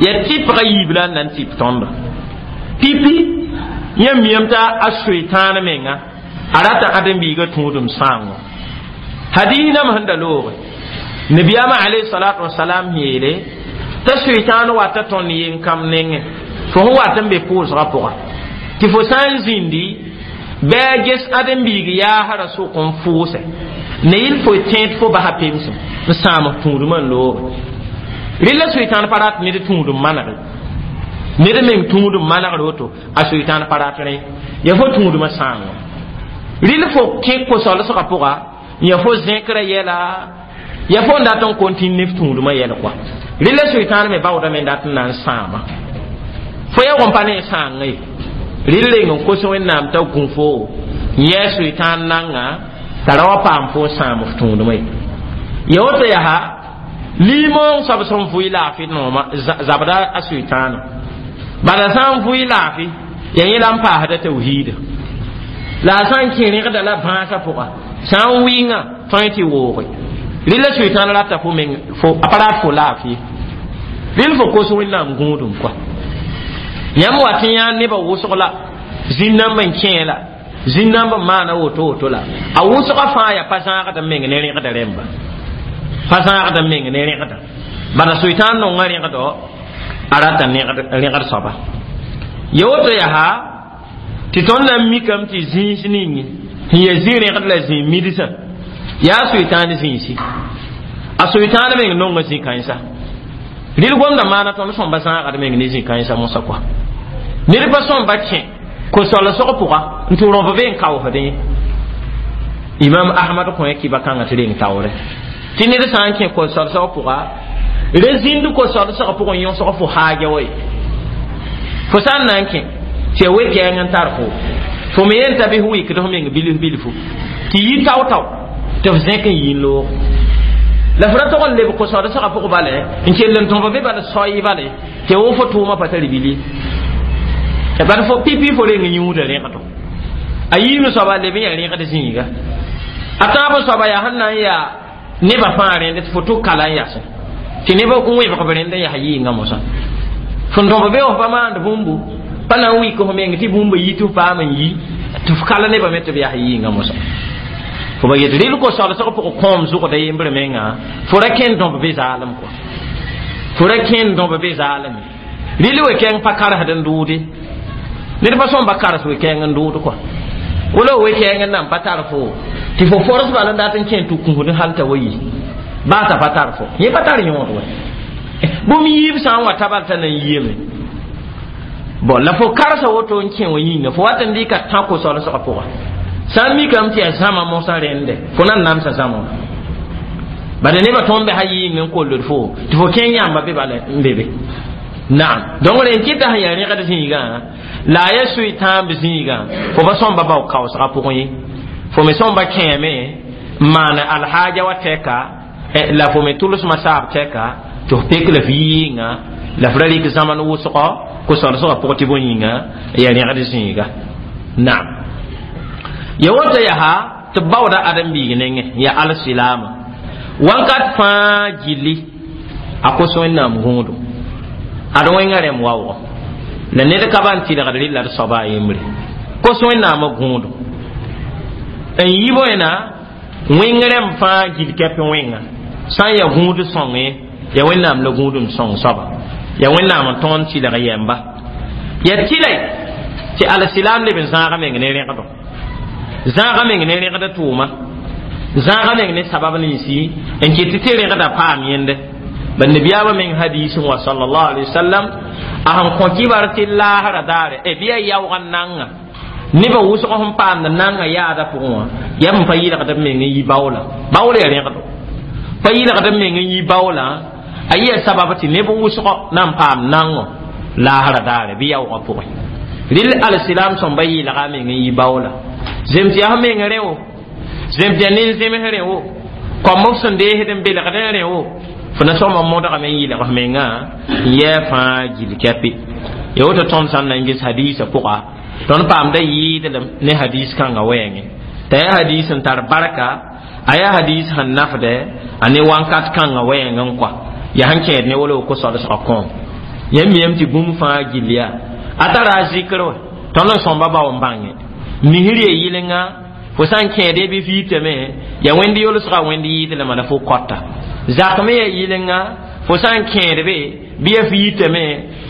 ya tɩpga yiib la n na n tɩp tõnda pipi yãmb miyame t'a a soetãan menga a rata ãdem-biigã tũudem sãango hadis nam sẽn da looge nabiyaamã alayhi salatu wasalam yeele t'a soetãan wata tõnd yen-kãmb nengẽ fo sẽn wat n be pʋʋsgã pʋga tɩ fo sã n zĩndi bɩ a ges ãdem-biig yaasrã sʋk n fʋʋsɛ ne yɩl fo tẽed fo basa pemsem n sãam f tũudmã n looge rɩla soetãan pa rat ned tũudem manege ned meng tũudem manegr woto a soetãan pa rat rẽ ya fo tũudmã sãango rɩl fo kẽ ko-solsgã pʋga ya fo zẽkrã yɛla ya fo n dat n kontine ne f tũudmã yɛl kɔa rɩla soetãan me baoodame n dat n na n sãama fo ya gom pa ne sãangã ye rɩl reng n kos wẽnnaam t'a gũ fo n yɛɛ soetãan nanga t'a ra wa paam fo n sãam f tũudmã ye ya woto yaa liimoong soab sẽn vʋɩ laafɩ nooma zabda a soetãana bala sã n vʋɩ laafɩ ya yẽ la n paasda tawhiida la a sã n kẽ rẽgda la bãasã pʋga sã n wɩnga tõe tɩ wooge rɩla soetãan rata fo meng fo a pa rat fo laafɩ rɩl fo kos wẽnnaam gũudum kɔa yãmb wat n yãa nebã wʋsg la zĩn-nãmb n kẽe la zĩn-nãmb n maana woto woto la a wʋsgã fãa yaa pa zãagd n meng ne rẽgda rẽmba pa zãagd n meng ne rẽgda bala soetãan nonga rẽgdo a rata rẽgd soaba ya woto yaa tɩ tõnd na n mikame tɩ zĩis ning sẽn yaa zĩ-rẽgd la zĩ midsã yaa soetãan zĩisi a soetãan meng nonga zĩ-kãensa rɩl gomda maana tõnd sõmba zãagd meng ne zĩ-kãensa mosã kɔa ned pa sõmba kẽ ko-solsg pʋga n tɩ rõb be n kaoosdẽ imam ahmad kõ kiba kãngã tɩ reng taoore tɩ ned sã n kẽ ko-solsg pʋga re zĩnd ko-solsg pʋgẽ yõsg fo haaja wa ye fo sã n na n kẽ tɩ ya we-kɛɛng n tar fo fo me yen t'a bɩ f wɩkd f meng bilf bilfu tɩ yi tao-tao tɩ f zẽk n yi n loog la f ra tog n leb ko-solsgã pʋg bale n kell n tõb be bal soy bale tɩ wo fo tʋʋmã pa tar bili bad fo pipi fo reng yũuda rẽgdo a yiim soaba leb n yaa rẽgd zĩiga a tãab soaba yaa sẽn na n yaa nebã fãa rẽnd tɩ fo tʋk kala n yasẽ tɩ neb n wẽbg b rẽnd n yaa yɩɩngã mosã fõn tõb be f pa maand bũmbu pa na n wɩk f meng tɩ bũmba yi tɩ f paam n yi tɩ f kala nebã me tɩ b yaa yɩɩngã mosã fo ba yet rɩl ko-solsg pʋg kõom zʋgda yembre menga fo ra kẽnd dõb be zaalem kɔa fo ra kẽnd dõb be zaaleme rɩl we-kɛɛng pa karsd n dʋʋde ned pa sõmba kars we-kɛɛng n dʋʋd kɔa wala we-kɛɛng n nan pa tar fo tɩ fo fors bala n dat n kẽ tɩ kũsd hal t'a wa yi baa t'a pa tar fo yẽ pa tar yõod wa bũmb yiib sã n wa tabal t'a na n yiame bon la fo karsa woto n kẽ wa yĩnga fo wat n dɩka tã ko-solsgã pʋga sã n mikame tɩ yaa zãma mosã rẽnde fo na n namsa zãma bala nebã tõnd be sa yɩɩng n kolld fo tɩ fo kẽng yãmba be bala n be be naam donc rẽn kɩta sẽn yaa rẽgd zĩigã la a yaa soe-tãamb zĩigã fo pa sõmba bao kaoosgã pʋgẽ ye fo me sõmba kẽeme n maan alhaaja wa tɛka la fo me tʋlsmã saab tɛka tɩ f pek la f yɩɩngã la f ra rɩk zãmand wʋsgɔ ko-solsgã pʋg tɩ bõe yĩnga yaa rẽgd zĩiga naam ya woto yaa tɩ b baooda ãdem-biig nengẽ yaa alsilaama wãnkat fãa gilli a kos wẽnnaam gũudu ad wẽngã rẽmb waoogɔ la ned ka ban tɩlgd rɩla d soaba a yembre kos wẽnnaamã gũudu n yi bõena wẽng rẽmb fãa gil kɛp wẽnga sã n yaa gũud sõngẽ ya wẽnnaam la gũudum sõng soaba ya wẽnnaam n tõnd tɩlg yɛmba ya tɩlɛ tɩ alsilaam leb n zãag meng ne rẽgdo Zãagã meng ne rẽgd tʋʋma, zãagã meng ne sabab ninsi n kɩt tɩ rẽgda paam yẽnde. Ba nabiyaamã meng hadiisẽ wã sallallahu alaihi wasallam a sẽn kõ kibar tɩ laasra daare e bɩ ya yaoog n nanga nebã wʋsg sẽn paamd nanga yaada pʋgẽ wã yaa b pa yɩlgd b meng n yi baoola. Baool ya rẽgdo pa yɩlgd b meng n yi baoola a yɩa sabab tɩ neb wʋsgɔ na n paam nango laasra daare bɩ yaoogã pʋgẽ. Rɩl alsilam sõmba yɩlga a meng n yi baoola zem tɩ yaa f meng rẽ wo, zem tɩ yaa nin-zems rẽ wo, kõmb f sẽn deesd n belgd n rẽ wo, fo na sõma modgame n yɩlg f mengã n yɛɛ fãa gill kɛpɩ. Ya woto tõnd sã n na n ges hadiisã pʋga tõnd paamda yɩɩdlem ne hadiis kãngã wɛɛngẽ t'a yaa hadiis n tar barka, a yaa hadiis sẽn nafdɛ a ne wãnkat kãngã wɛɛng n kɔa yaa sẽn kẽed ne wolo ko-solsgã kõom. Yãmb miyame tɩ bũmb fãa gill yaa a tara a zikr wɛ tõnd n sõmba bao n bãnge misr ya yɩlenga fo sã n kẽede bɩ f yitame ya wẽnd yolsga wẽnd yɩɩdlema la fo kɔta zak me ya yɩlenga fo sã n kẽed be bɩ ya f yitame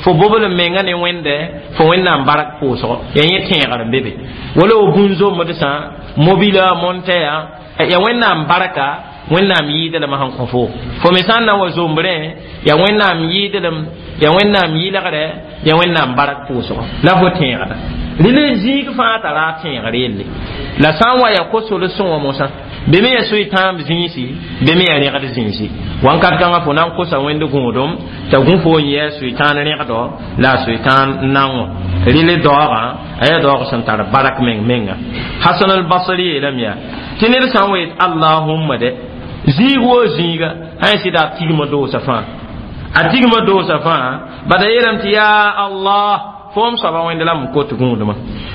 fo bobl n menga ne wẽnde fo wẽnnaam bark pʋʋsgo ya yẽ tẽegr n be be wala wo bũn-zombd sã mobila montɛya ya wẽnnaam barka wẽnnaam yɩɩdlem sẽn kõ fo fo me sã n na wa zombrẽ ya wẽnnaam yɩɩdlem ya wẽnnaam yɩlgdɛ ya wẽnnaam bark pʋʋsgo la fo tẽegda rɩl zĩig fãa tara a tẽegr yelle la sã n wa ya ko-solsẽ wã mosã be me ya soy-tãamb zĩisi be me ya rẽgd zĩisi wãnkat kãngã fo na n kosa wẽnd gũudum t'a gũ fo n yɛɛ soy-tãan rẽgdɔ la a soy-tãan nango rɩl daoogã a yaa daoog sẽn tar barak meng menga. Hasan al-Basri yeelame yaa tɩ ned sã n wa yet allahumma dɛ zĩig woo zĩiga sã n sɩda a tigma doosa fãa a tigma doosa fãa bada yeelame tɩ yaa Allah foom soaba wẽnd la m kot gũudmã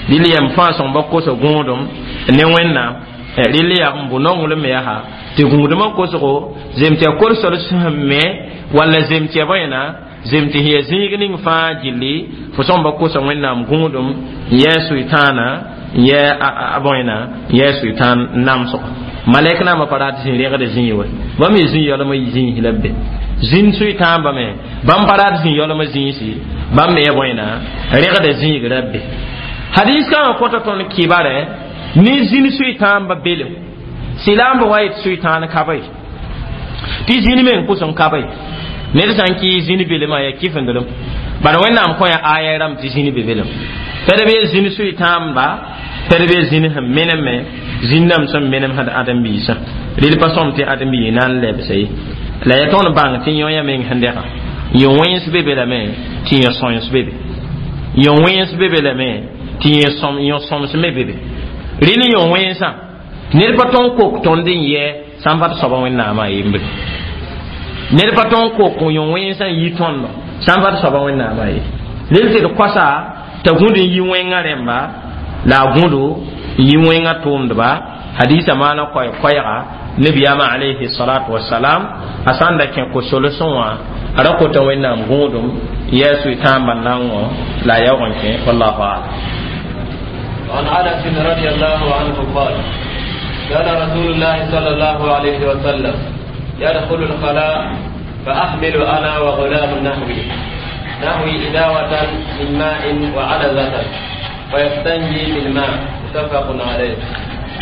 rɩl yɛm fãa sõmba kosa gũudum ne wẽnnaam rɩl yaa n bʋ nonglem yaa tɩ gũudmã kosgo zem tɩ ya kol-sol sẽn me walla zem tɩ ya bõena zem tɩ sẽn ya zĩig ning fãa gilli fo sõmba kosa wẽnnaam gũudum n yɛɛ sʋɩtãana n yɛɛ a bõena n yɛɛ sʋɩtãan namsgo malɛk naamã pa rat zĩ rẽgd zĩig we bãmb ye zĩ yaolmã zĩis la b be zĩnd sʋɩtãambame bãmb pa rat zĩ yaolmã zĩisi bãmb me ya bõena rẽgda zĩig ra be. Hadiis kãngã kõta tõnd kɩbarɛ ne zĩnd sʋɩtãambã belem silaambã wa yet sʋɩtãan ka ye tɩ zĩnd meng pʋs n ka ye ned sã n kɩ zĩnd belmã yaa kɩfendrem bala wẽnnaam kõ ya aya rãmb tɩ zĩnd be belem tɩ d be zĩnd sʋɩtãamba tɩ d be zĩnd sẽn menem zĩnd-dãmb sẽn menem sẽd ãdem-biisã rɩl pa sõm tɩ ãdem-biis na n lebsa ye la ya tõnd bãng tɩ yõ-yã meng sẽn dɛgã yõ-wẽns be be lame tɩ yõ-sõens be be yõ-wẽns be be lame tɩ yõ-sõms me be be rɩl yõ-wẽnsã ned pa tõn kok tõnd n yɛ sã n pa t soaba wẽnnaamã yembre ned pa tõn kok yõ-wẽnsã n yi tõndo sã n pa t soaba wẽnnaamã ye rel tɩ d koasa t'a gũd n yi wẽngã rẽmba la a gũdo n yi wẽngã tʋʋmdba hadiisã maana koɛɛ-koɛɛga nabiyaamã alayhi salatu wasalam a sã n da kẽ ko-solsẽ wã a ra kota wẽnnaam gũudum n yɛɛ sʋɩtãambã nango la a yaoog n kẽ wallahu alam. وعن انس رضي الله عنه قال كان رسول الله صلى الله عليه وسلم يدخل الخلاء فأحمل أنا وغلام نحوي نحوي إداوة من ماء وعنزة ويستنجي بالماء متفق عليه.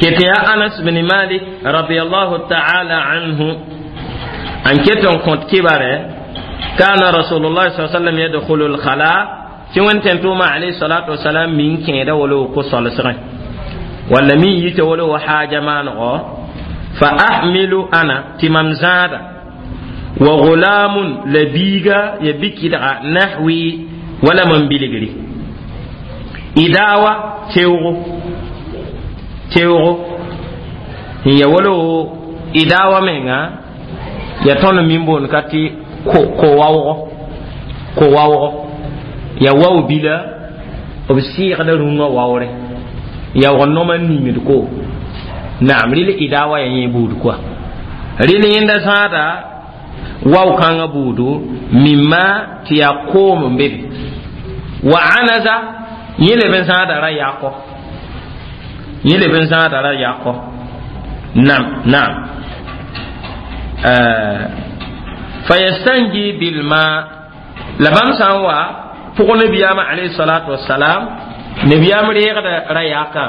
كتيا أنس بن مالك رضي الله تعالى عنه أن كتن كنت كبره كان رسول الله صلى الله عليه وسلم يدخل الخلاء tɩ wẽnd tẽn-tʋʋmã alayhi salatu wasalam min kẽeda wala ko solsgẽ walla min yita wala wo haaja maanego fa ahmilu ana tɩ mam zãada wa gulamun la biiga ya bikidga nahwi wala mam bilgri idawa teoogo teoogo n ya wala wo idawa menga ya tõnd min boond ka tɩ ko-waoogo ko-waoogo ya waw bila b sɩɩgda rũngã waoore yaoog noma n ningd ko naam rɩl idawa ya yẽ buud koa rɩl yẽnda zãada waw kãngã buudu mimma tɩ yaa koom n be be wa anaza yẽ leb n zãada ra yakɔ yẽ leb n zãada ra yakɔ nam naam fayastanji bilma la bãmb sã n wa pʋg nabiyaamã alayhi salatu wasalam nabiyaam reegda ra yaka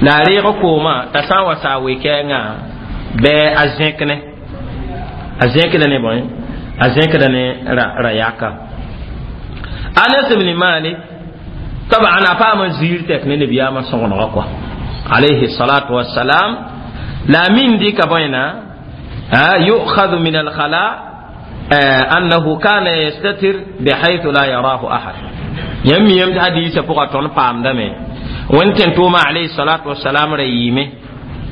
La a reeg koomã t'a sã n wa saa we-kɛɛngã bɩ a zẽk ne a zẽkda ne bõe a zẽkda ne ra yaka. Anas ibn Malik taban a paama ziir tɛk ne nabiyaamã sõgenegã kɔa alayhi salatu wassalam. La a min dɩka bõena yu'khadhu min alkhala annahu kana yastatir bihaythu la yarahu ahad. Yãmb miyame tɩ hadiisã pʋga tõnd paamdame wẽnd tẽn-tʋʋma alayhi salatu wassalam ra yɩɩme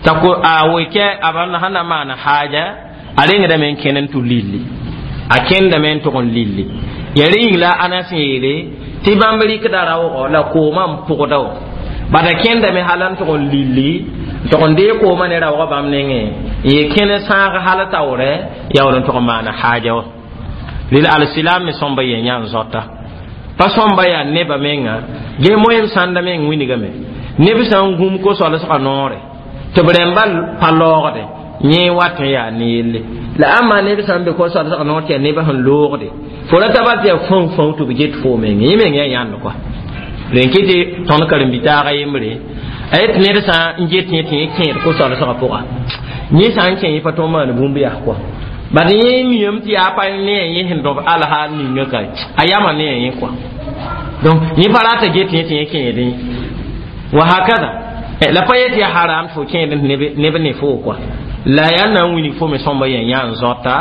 t'a a wekɛ a sẽn na maan haaja a rengdame n kẽnd n tʋ lilli a kẽndame n tʋg n lilli ya rẽ yĩng la Anas yeele tɩ bãmb rɩkda raoogɔ la koomã n pʋgda wã bad a kẽndame hal n tʋg n lilli n tʋg n dee koomã ne raoogã bãmb nengẽ n ye kẽn sãag hal taoorɛ yaool n tʋg n maana haaja wã. Rel alsilam me sõmba yen yã n zɔta pa sõmba yaa neba menga ge moyem sãnda meng wilgame neb sã n gũm ko-soalsgã noore tɩ b rẽmba pa loogde yẽ wat n yaa ne yelle la ãmba neb sã n be ko-soalsgã noor tɩ yaa nebã sẽn loogde fo ra ta bal tɩ yaa fãu fãu tɩ b get fo meng yẽ meng yaa yãnd kɔa rẽn kɩ tɩ tõnd karen-bi-taagã yembre a yet ned sã n get yẽ tɩ yẽ kẽed ko-soalsgã pʋga yẽ sã n kẽ yẽ pa tõnd maan bũmb yaa kɔa bad yẽ miyame tɩ yaa pa ne a yẽ sẽn dõb alhaal ninga ka a yama ne a yẽ kɔa donc yẽ pa rata get yẽ tɩ yẽ kẽedẽ wa hakada la pa yet yaa haram tɩ fo kẽed neb ne fo kɔa la yaa na n wilg fo me sõmba yã yã n zɔta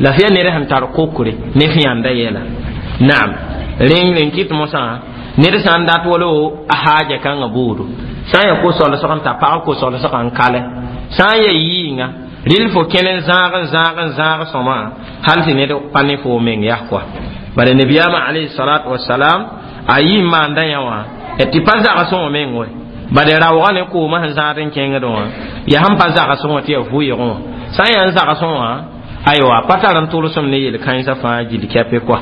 la f yaa ned sẽn tar kokre ne f yãnda yɛla naam rẽng rẽn kɩt mosã ned sã n dat wala a haaja kãngã boodo sã n yaa ko-solsg n ta pag ko-solsgã n kalɛ sã n yaa yɩɩnga rɩl fo kẽn n zãag n zãag n zãag sõma hal tɩ ned pa ne fo meng yaa kɔa bala nabiyaamã alayhi salatu wasalam a yɩ n maanda yã wã tɩ pa zagsẽ wã meng wɛ bad raoogã ne koomã sẽn zãad n kẽngd wã yaa sẽn pa zagsẽ wã tɩ yaa vʋɩɩgẽ wã sã n yaa n zagsẽ wã aywa pa tar n tʋlsem ne yel-kãensã fãa gill kɛpɛ kɔa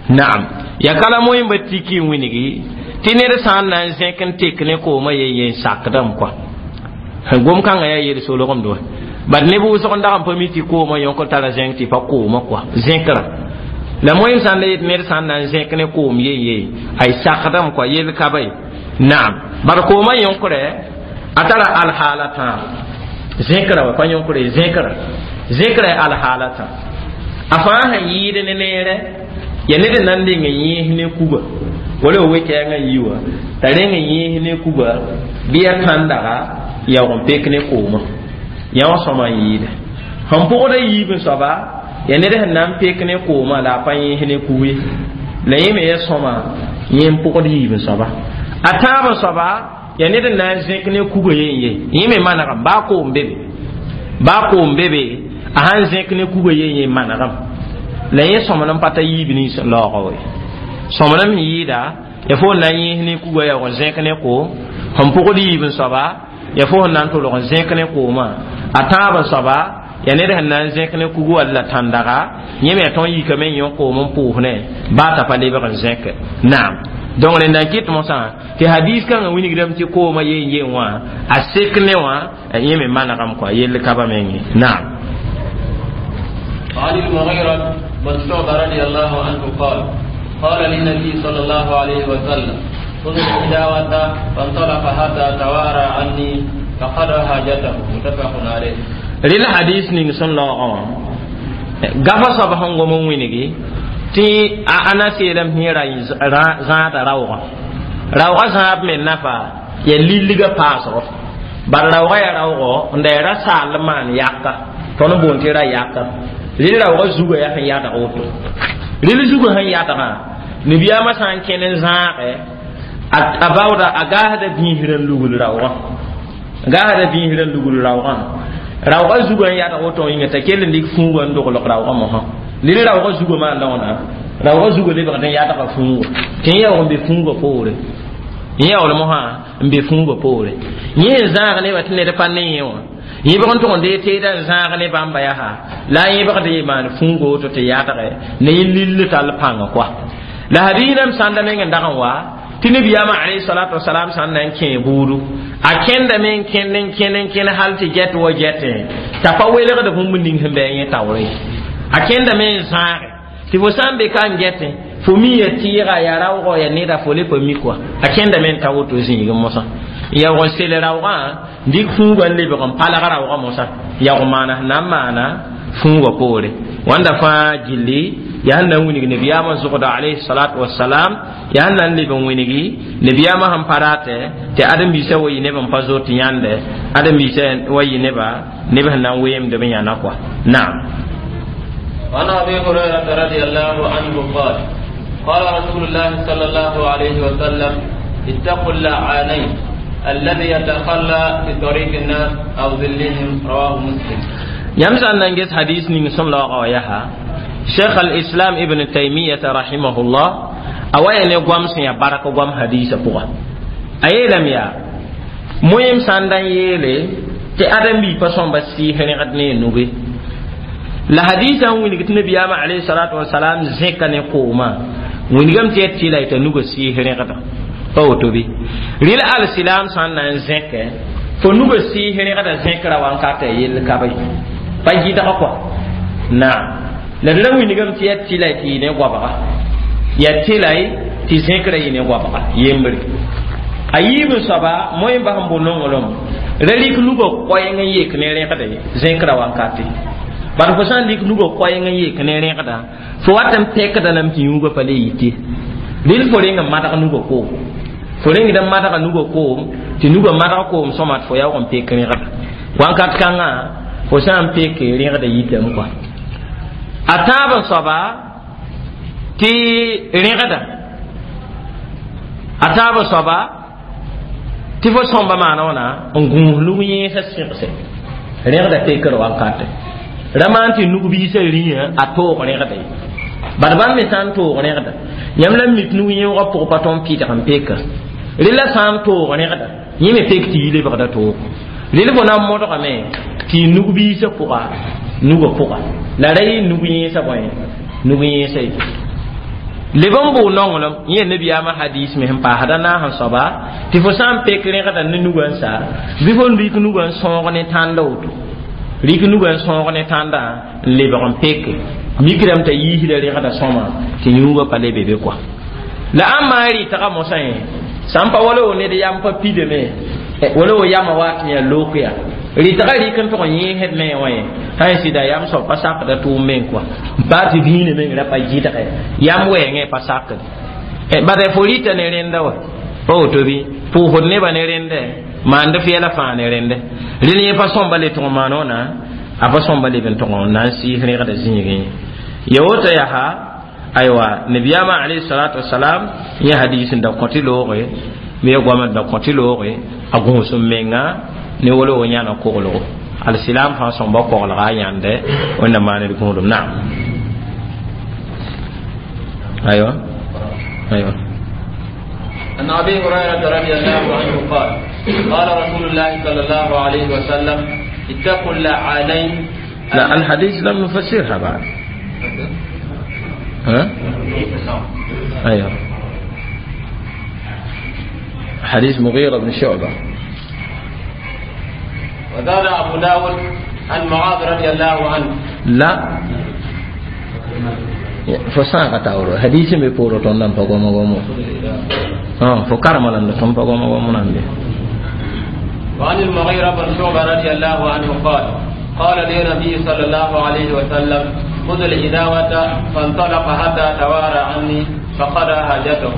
naam ya kala moẽmba tiki n wilgi tɩ ned sã n na n zẽk n tek ne koomã yen yen sakdame kɔa gom-kãngã yaa yel-solgemd wa bad neb wʋsg n dag n pa mi tɩ koomã yõk tara zẽng tɩ pa koomã kɔa zẽkrã la moẽm sã n la yet ned sã n na n zẽk ne koom yen ye ay sakdame kɔa yel ka ba ye naam bad koomã yõkrɛ a tara alhaala tãab zẽkrã wa pa yõkre zẽkrã zẽkrã ya alhaala tã a fãa sẽn yɩɩd ne neerɛ ya ned n na n deng n yẽes ne kuga wala f we-kɛɛngã yi wã t'a reng n yẽes ne kuga bɩ ya tãndaga yaoog n pek ne koomã yã wã sõma n yɩɩdɛ sẽn pʋgda yiib n soaba ya ned sẽn na n pek ne koomã la a pa yẽes ne kug ye la yẽ me ya sõma yẽ n pʋgd yiib n soaba a tãab n soaba ya ned n na n zẽk ne kuga yen ye yẽ me manegame baa koom be be baa koom be be a sãn zẽk ne kuga yen ye manegame la yẽ sõmd n pa ta yiib nins laoogã we sõmd n yɩɩda ya fo n na n yẽes ne kuga yaoog n zẽk ne koom sẽn pʋgd yiib n soaba ya fo sẽn na n tʋlg n zẽk ne koomã a tãab n soaba ya ned sẽn na n zẽk ne kugu wall la tãndaga yẽ me ya tõnd yikame n yõ koom n pʋʋs ne baa t'a pa lebg n zẽke naam donc rẽnda n kɩt mosã tɩ hadis kãngã wilgdame tɩ koomã yen yen wã a sek ne wã yẽ me manegame kɔa yell ka ba menge naam. وعن المغيرة بن شعبة رضي الله عنه قال قال للنبي صلى الله عليه وسلم خذ الإداوة فانطلق حتى توارى عني فقضى حاجته متفق عليه. Rɩl hadis ning sẽn laoogã wã gafa soab sẽn gom n wilgi tɩ a Anas yeelame tɩ yẽ ra zãada raoogã raoogã zãab me nafa ya lilgã paasgo bad raoogã yaa raoogɔ n da ya ra saal n maan yaka tõnd boond tɩ ra yaka rɩl raoogã zugã yaa sẽn yadg woto rɩl zugã sẽn yadgã nabiyaamã sã n kẽn n zãage a baooda a gaasda bĩisr n lugl raoogã gaasda bĩisr n lugl raoogã raoogã zugã n yadg woto yĩnga t'a kell n dɩk fũugã n doglg raoogã mosã lel raoogã zugã maanda wãna raoogã zugã lebgd n yadga fũugã tɩ yẽ yaoog n be fũugã poore yẽ yaool mosã n be fũugã poore yẽ n zãag nebã tɩ ned pa ne yẽ wã yẽbg n tʋg n dee teedã n zãag ne bãmba yaa la a yẽbgd yɩ maan fũugã woto tɩ yadge ne yẽ lill tall pãnga koa la hadiisdame sãnda meng n dag n wa tɩ nabiyaamã alayhi salatu wasalam sãn na n kẽ buudu a kẽndame n kẽnd n kẽnd n kẽnd hal tɩ gɛt wa gɛtẽ t'a pa welgd bũmb ning sẽn bɩ a yẽ taoore a kẽndame n zãage tɩ fo sã n be ka n gɛtẽ fo mi ya tɩɩga ya raoogɔ ya neda fo le pa mi kɔa a kẽndame n ta woto zĩigẽ mosã Yaoog n sel raoogã dɩk fũugã n lebg n palg raoogã mosã yaoog maana sẽn na n maana fũugã poore wãnda fãa gilli yaa sẽn na n wilg nabiyaamã zʋgda alayhi salatu wasalam yaa sẽn na n leb n wilgi nabiyaamã sẽn pa ratɛ tɩ ãdem-biisã wa yɩ neb n pa zoet yãnde ãdem-biisã wa yɩ neba neb sẽn na n weemd b yãna kɔa naam. وعن ابي هريره رضي الله عنه قال قال رسول الله صلى الله عليه وسلم اتقوا اللعانين الذي يتخلى في طريق الناس او ظلهم رواه مسلم. Yãmb sã n na n ges hadis ning sõm laoogã wã yaa cheikh al-islam ibn taymiyata rahimahullah a wa ya ne goam sẽn yaa bark goam hadisã pʋga a yeelame yaa moẽem sã n da n yeele tɩ ãdem-bi pa sõmba sɩɩs rẽgd ne a nuge la hadisã n wilg tɩ nabiyaamã alayhi salatu wasalam zẽka ne koomã wilgame tɩ ya tɩ la t'a nugã sɩɩs rẽgda pa woto bɩ rɩl alsilam sã n na n zẽkɛ fo nugã sɩɩs rẽgda zẽkra wankatã yell ka be pa gɩdg kɔa naam la d ra wilgame tɩ ya tɩ la tɩ yɩ ne goabga ya tɩ la tɩ zẽkra yɩ ne goabga yembre a yiib n soaba moẽ bas n bo nonglem ra rɩk nugã koɛɛng n yek ne rẽgde zẽkra wankate bad fo sã n rɩk nugã koɛɛng n yek ne rẽgda fo wat n pɛkda lame tɩ yũugã pa le yite rɩl fo reng n madg nugã koom fo rengd n madga nugã koom tɩ nugã madg koom sõma tɩ fo yaoog n pek rẽgda wãnkat kãngã fo sã n peke rẽgda yitame kɔa a tãab n soaba tɩ rẽgda a tãab n soaba tɩ fo sõmba maana wãna n gũus lug yẽesã sɩgse rẽgda pekr wankate ra maan tɩ nug-biisã rĩyã a toog rẽgda ye bad bãmb me sã n toog rẽgda yãmb la mik nug yẽoogã pʋg pa tõnd pɩdg n peka rela sã n toog rẽgda yẽ me pek tɩ yi lebgda toog rel fo na n modgame tɩ nug-biisã pʋga nugã pʋga la ra yɩ nug yẽesã bõe nug yẽesã ye leb n bʋʋ nonglem yẽ nabiyaamã hadis me sẽn paasda naas n soaba tɩ fo sã n pek rẽgda ne nugã n sa bɩ fo n rɩk nugã n sõog ne tãnda woto rɩk nugã n sõog ne tãndã n lebg n peke mikrame t'a yiisda rẽgda sõma tɩ yũugã pa le be be kɔa la ãmb maa rɩtga mosã yẽ sã n pa wala wo ned yam pa pidame wala wo yama wa tɩ yaa look yaa rɩtga rɩk n tʋg n yẽesd me wã ye sã n sɩda yam soab pa sakda tʋʋm meng kɔa baa tɩ dĩinã meng ra pa gɩdge yam wɛɛngẽ pa sakd bad fo rɩta ne rẽnda wa pa woto bɩ pʋʋsd nebã ne rẽndɛ maand f yɛla fãa ne rẽndɛ rel yẽ pa sõmba le tʋg n maan wãna a pa sõmba leb n tʋg n na n sɩɩs rẽgda zĩigẽ ya woto yaa aywa nabiyaamã alayhi salatu wasalam yẽ hadis n da kõ tɩ looge me ya goamã da kõ tɩ looge a gũus n menga ne wala wo yãna koglgo alsilam fãa sõmba koglga a yãnde wẽnna maan d gũudum naam aywa aywa. عن ابي هريره رضي الله عنه قال قال رسول الله صلى الله عليه وسلم اتقوا اللعانين. لا الحديث لم نفسرها بعد ها؟ ايوه حديث مغيرة بن شعبة. وزاد أبو داود عن معاذ رضي الله عنه. لا fo sãaga taooro hadis n be poorẽ tõnd nan pa gomo gomo fo karema la tõnd pa gomo gomo nan be. وعن المغيرة بن شعبة رضي الله عنه قال قال لي النبي صلى الله عليه وسلم خذ الإداوة فانطلق حتى توارى عني فقضى حاجته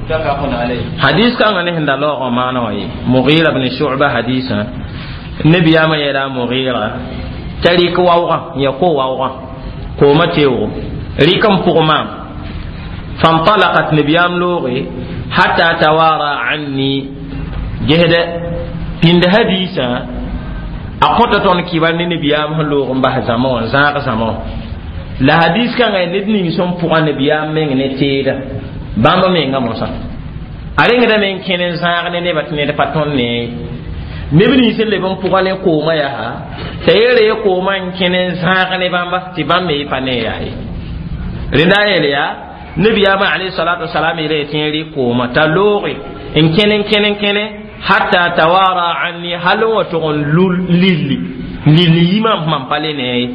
متفق عليه. حديث كان ne sẽn da laoogã maana wã ye Mughira bn Shu'ba hadisã nabiyaamã yeela Mughira t'a rɩk waoogã ya ko waoogã koomã teoogo rɩk n pʋg maam fantalaqat nabiyaam looge hatta tawara anni gesdɛ pĩnd hadisã a kõta tõnd kɩbar ne nabiyaam sẽn loog n bas zãma wã zãag zãma wã la hadis kãngã ned ning sẽn pʋga nabiyaam meng ne teeda bãmb menga mosã a rengdame n kẽne n zãag ne nebã tɩ ned pa tõnd ne neb nins sẽn leb n pʋga ne koomã yaa t'a yeere ye koomã n kẽne n zãag ne bãmba tɩ bãmb me pa ne yaa ye rẽnda a yeel yaa nabiyaamã alayhi salatu wasalam yeela tɩ yẽ rɩ koomã t'a looge n kẽne n kẽne n kẽne hatta tawara anni hal n wa tʋg n lilli lilli yimã mam pa le ne ye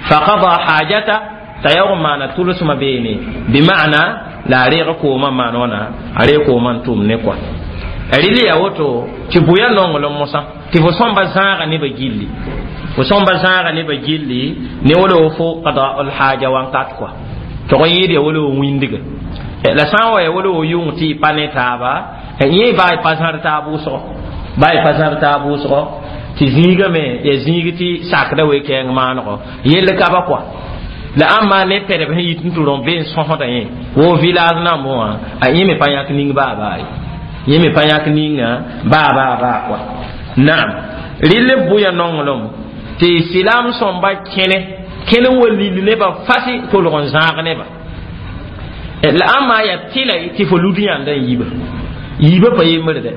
faqada hajata t'a yaoog n maana tʋlsmã beene bima'na la a reeg koomã maan wãna a reeg koomã n tʋm ne kɔa Rɩl yaa woto tɩ bʋya nonglem mosã tɩ fo sõmba zãaga nebã gilli, fo sõmba zãaga nebã gilli ne wala fo qada al haja wãnkat kɔa tog n yɩɩd ya wala wĩndga la sã n wa ya wala wo yʋng tɩ y pa ne taaba yẽ baa y pa zãr taab wʋsgo, baa y pa zãr taab wʋsgo tɩ zĩigame ya zĩig tɩ sakda we-kɛɛng maanego yell ka ba kɔa la ãmba ne pɛdb sẽn yit n tɩ rõ be n sõsda yẽ wo village nambẽ wã a yẽ me pa yãk ning baa baa ye, yẽ me pa yãk ninga baa baa baa kɔa. Naam, rɩl b bʋya nonglem tɩ silam sõmba kẽne kẽne n wa lil nebã fasi tolg n zãag neba la ãmba ya tɩla tɩ fo lud yãnda n yiba yiibã pa yembrde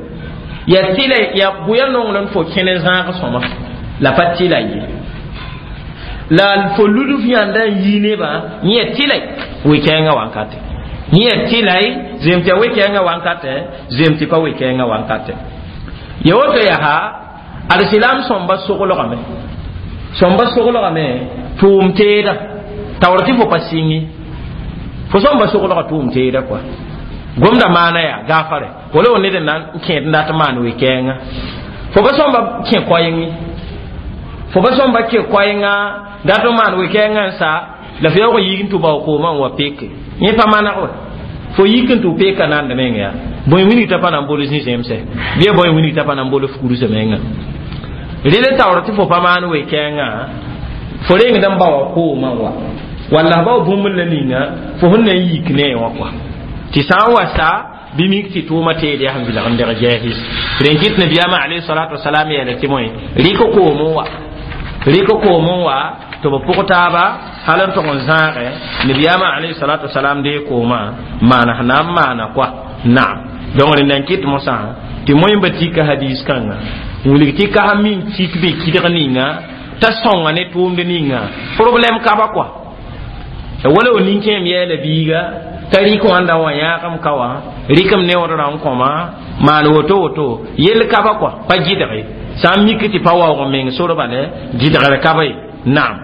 ya tɩla ya bʋya nonglem fo kẽne zãag sõma la pa tɩla ye la fo lud f yãnda n yi nebã yẽ tɩla we-kɛɛngã wankate, yẽ tɩla zem tɩ ya we-kɛɛngã wankate, zem tɩ pa we-kɛɛngã wankate ya woto yaa ad silam sõmba soglgame, sõmba soglgame tʋʋm teeda taoor tɩ fo pa sɩngi fo sõmba soglga tʋʋm teeda kɔa gomda maana yaa gaafare wala wo ned n na n kẽed n dat n maan we-kɛɛngã fo pa sõmba kẽ koɛɛngẽ, fo pa sõmba kẽ koɛɛngã dat n maan we-kɛɛngã n sa la fo yaoog n yik n tɩ bao koomã n wa peke yẽ pa maneg wa fo yik n tɩ peka nand meng yaa bõe wilg t'a pa na n bol zĩ-zẽmsɛ bɩ bõe wilg t'a pa na n bol fugrsã menga rɩl taoor tɩ fo pa maan we-kɛɛngã fo rengd n baoa koomã wa walla bao bũmb la ninga fo sẽn na n yik ne wã kɔa tɩ sã n wa sa bɩ mik tɩ tʋʋma teed yaa sẽn vilg n deg jɛɛs rẽn kɩt nabiyaamã alayhi salatu wasalam yeela tɩ moe rɩk koom n wa, rɩk koom n wa tɩ b pʋg taaba hal n tʋg n zãage nabiyaamã alayhi salatu wasalam dee koomã maana sẽn na n maana kɔa. Naam, donc rẽnd n kɩt mosã tɩ moẽmba tika hadis kãnga n wilg tɩ ka min tik be kɩdg ninga t'a sõnga ne tʋʋmd ninga problème ka ba kɔa wala wo nin-kẽem yɛɛla biiga t'a rɩk wãnda wã yãagem ka wã rɩkem neood rã n kõma maan woto woto yell ka ba kɔa pa gɩdge sã n mik tɩ pa waoog n meng sor bale gɩdgr ka ba ye. Naam,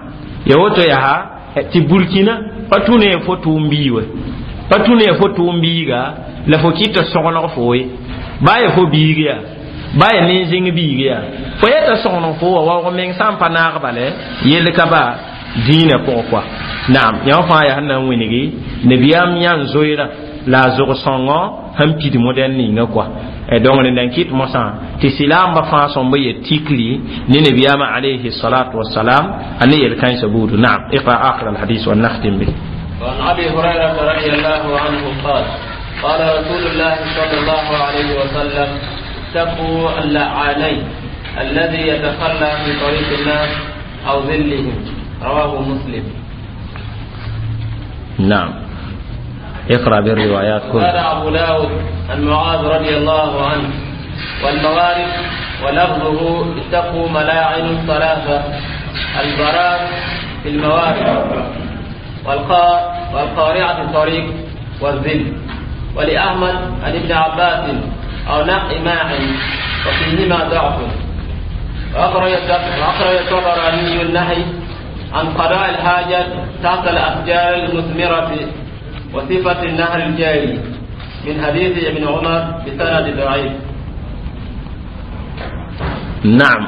ya woto yaa tɩ burkina pa tũ ne fo tʋʋm bii we, pa tũ ne fo tʋʋm biiga la fo kɩta sõgeneg fo ye baa ya fo biig yaa baa ya nin-zĩng biig yaa fo yeta sõgeneg fo wa waoog meng sã n pa naag bale yell ka ba dĩinã pʋgẽ kɔa. Naam, yã fãa yaa sẽn na n wilgi nabiyaam yãn zoeera la a zog-sõngõ sẽn pid modɛl ninga kɔa donc rẽnd n kɩt mosã tɩ silaamba fãa sõmb yet tikri ne nabiyaamã alayhi salatu wasalam a ne yel-kãensã buudu. Naam, iqra akhir alhadis wa nakhtim bi. وعن أبي هريرة رضي الله عنه قال قال رسول الله صلى الله عليه وسلم اتقوا اللعانين الذي يتخلى في طريق الناس أو ظلهم، رواه مسلم. نعم، اقرأ بالروايات كلها. قال أبو داود عن معاذ رضي الله عنه والموارد ولفظه اتقوا ملاعن الثلاثة البراء في الموارد والقارعة الطريق والذل. ولأحمد عن ابن عباس أو نحو ماع وفيهما ضعف. وأخرج الطبراني النهي عن قضاء الحاجة تحت الأشجار المثمرة وصفة النهر الجاري من حديث ابن عمر بسند ضعيف. نعم،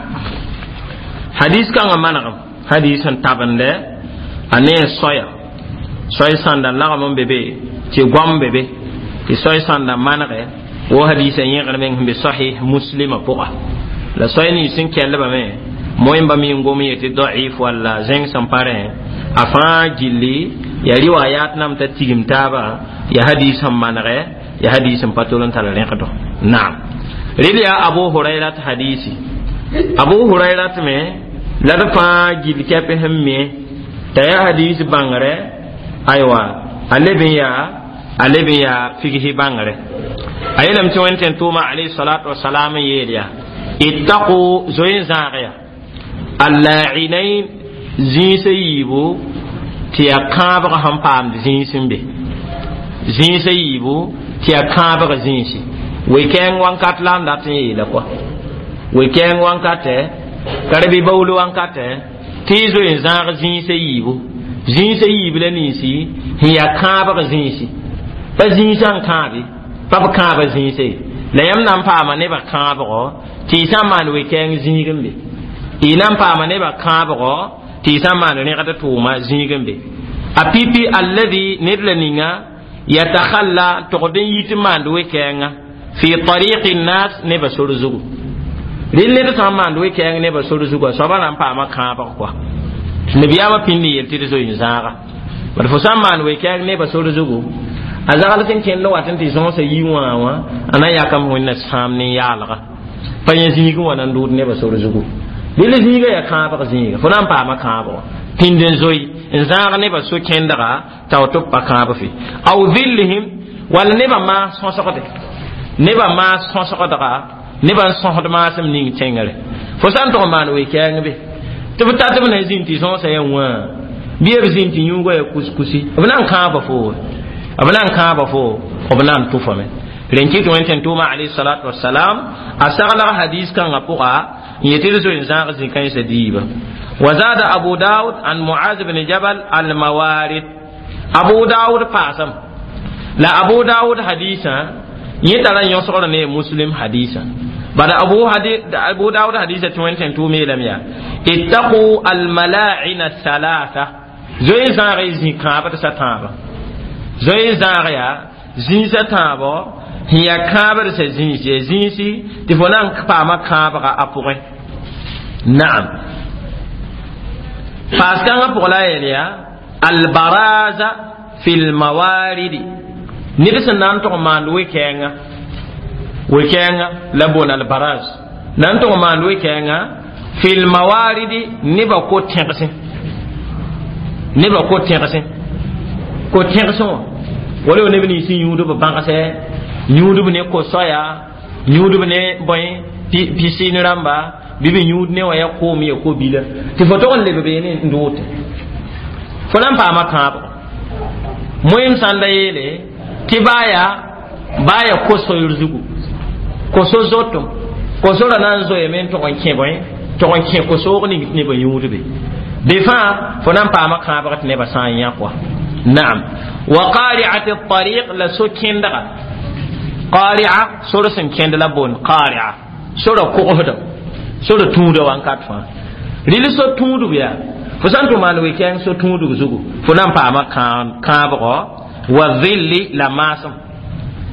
حديث كان منغم حديث تابن ده أني صيا soy sãnda lagm n be be tɩ goam be be tɩ soy sãnda manege wo hadisa yẽgr meng sẽn be sahih muslima pʋga la soy nins sẽn kellbame moẽmba mi n gom yetɩ daif walla zẽng sẽn pa rẽ a fãa gilli ya riwayat nam t'a tigim taaba ya hadis sẽn manege ya hadis sẽn pa tol n tar rẽgdo. Naam, rel yaa Abu Hurairat hadisi Abu Hurairat me la d fãa gill kɛp sẽn me t'a yaa hadis bãngre aywa a leb n yaa a leb n yaa figsi bãngre a yeelame tɩ wẽnd tẽn tʋʋma alayhi salatu wasalam n yeel yaa ittaqu zoe n zãag ya allainain zĩisã yiibu tɩ yaa kãabg sẽn paamd zĩis n be zĩisã yiibu tɩ yaa kãabg zĩisi we-kɛɛng wãnkat la n dat n yeela kɔa we-kɛɛng wãnkatɛ ka bɩ baool wãnkatɛ tɩ y zoe n zãag zĩisã yiibu zĩisã yiib la ninsi sẽn yaa kãabg zĩisi pa zĩisã n kãabe pa b kãaba zĩise La yãmb na n paama nebã kãabgɔ tɩ y sã n maan we-kɛɛng zĩig n be. Y na n paama nebã kãabgɔ tɩ y sã n maan rẽgd tʋʋma zĩig n be. A pipi alladi ned la ninga yatakhalla togd n yit n maand we-kɛɛngã fi tariqi nnas nebã sor zugu. Rɩl ned sã n maand we-kɛɛng nebã sor zugu, a soabã na n paama kãabg kɔa. Nabiyaamã pĩnd n yel tɩ d zoe n zãaga. Bad fo sã n maan we-kɛɛng nebã sor zugu, a zagl sẽn kẽnd wat n tɩ zõosa yi wã wã, a na n yakame wẽnna sãam ne yaalga. Pa yẽ zĩigẽ wã na n dʋʋd nebã sor zugu. Rɩl zĩiga yaa kãabg zĩiga, fo na n paama kãabg pĩnd n zoe n zãag nebã so-kẽndga t'a tɩ b pa kãab fe. Aw dhillihim wall nebã maas sõsgde, nebã maas sõsgdga, nebã n sõsd maasem ning tẽngre. Fo sã n tʋg n maan we-kɛɛng be tɩ b tat b na zĩnd tɩ zõosã yaa wã bɩ b zĩnd tɩ yũugã yaa kuskusi, b na n kãaba fo, b na n kãaba fo, b na n tʋfame. Rẽn kɩt wẽn tẽn tʋʋma alayhi salatu wasalam a saglg hadis kãngã pʋga n yetɩ d zoe n zãag zĩ-kãensã diiba. وزاد أبو داود عن معاذ بن جبل الموارد. أبو داود paasam la Abu Dawud hadisa yẽ tara n yõsgr ne Muslim hadisa. Bada Abu, hadi, Abu Dawud hadisa tɩ wẽn tẽn tʋʋm yeelame yaa ittaqu almala'ina thalatha, zoe n zãag y zĩ kãabd sa tãabã. Zoe n zãag yaa zĩisã tãabɔ sẽn yaa kãabd sa zĩis, yaa zĩisi tɩ fo na n paama kãabga a pʋgẽ. Naam, paas kãngã pʋg la a yel yaa albaraza fi lmawaridi, ned sẽn na n tʋg maand we-kɛɛngã, we-kɛɛngã la boon albaraz na n tʋg maand we-kɛɛngã fi lmawaridi nebã ko-tẽgsẽ, nebã ko-tẽgsẽ, ko-tẽgsẽ wã wala yo neb nins n yũudb bãgsɛ, yũudb ne ko-soaya, yũudb ne bõe pisɩn rãmba, bɩ b yũud ne wã yaa koom ya ko-bila tɩ fo tog n leb beene n doote, fo na n paama kãabgo. Moeem sãn da yeele tɩ baa yaa baa yaa ko-soyr zugu, ko-so zotom, ko-sora na n zoeeme n tʋg n kẽ bõe, tʋg n kẽ ko-soog ning tɩ nebã yũudbe be fãa, fo na n paama kãabg tɩ nebã sã n yã kɔa. Naam, wa qari'ati tariq la so-kẽndga, qari'a sor sẽn kẽnd la boond qari'a, sora kogsda, sora tũuda wãnkat fãa. Rɩl so tũudb yaa fo sã n tʋ maan we-kɛɛng so tũudg zugu, fo na n paama kãabgɔ. Wa dhilli la maasem,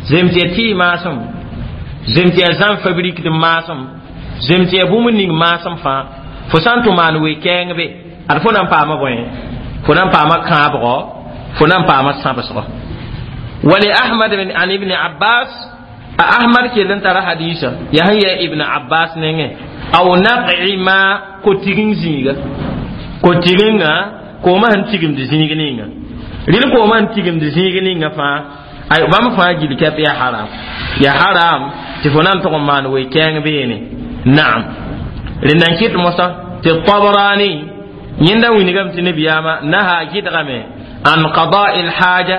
zem tɩ ya tɩ maasem, zem tɩ ya zãn fabrikd maasem, zem tɩ ya bũmb ning maasem fãa, fo sã n tʋ maan we-kɛɛng be ad fo na n paama bõe, fo na n paama kãabgɔ, fo na n paama sãbsgɔ. Wali Ahmad an Ibn Abbas, a Ahmad kell n tara hadisa yaa sẽn yaa Ibn Abbas nengẽ aw naqi ma ko-tiging zĩiga, ko-tigenga koomã sẽn tigimd zĩig ninga, rɩl koomã sẽn tigimd zĩig ninga fãa, ay bãmb fãa gil kɛp yaa haram, yaa haram tɩ fo na n tʋg n maan we-kɛɛng beene. Naam, rẽnd n kɩt mosã tɩ Tabrani yẽnda wilgame tɩ nabiyaamã naha gɩdgame an qada'i lhaja,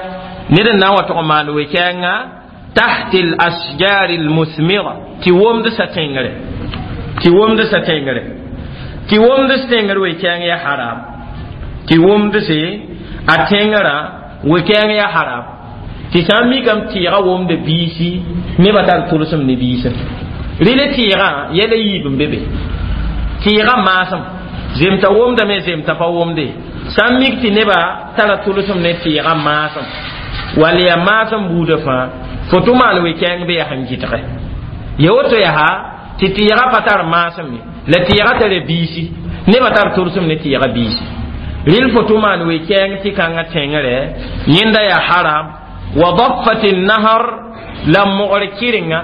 ned n na n wa tʋg n maan we-kɛɛngã tahti al-asjar al-muthmira, tɩ womd sa tẽngre, tɩ womd sa tẽngre, tɩ womd s tẽngr we-kɛɛng yaa haram, tɩ womd se a tẽngrã we-kɛɛng yaa haram, tɩ sã n mikame tɩɩga womda biisi nebã tar tʋlsem ne biisã. Rɩl tɩɩgã yɛla yiib n be be, tɩɩgã maasem zemta womdame, zemta pa womde, sã n mik tɩ nebã tara tʋlsem ne tɩɩgã maasem wall yaa maasem buudã fãa, fo tʋ maan we-kɛɛng be yaa sẽn gɩdge ya woto yaa tɩ tɩɩgã pa tar maasem ye, la tɩɩgã tara biisi, nebã tar tʋlsem ne tɩɩgã biisi. Rɩl fo tʋ maan we-kɛɛng tɩ kãngã tẽngre yẽnda yaa haram. Wa daffat nahar la mogr kɩrenga,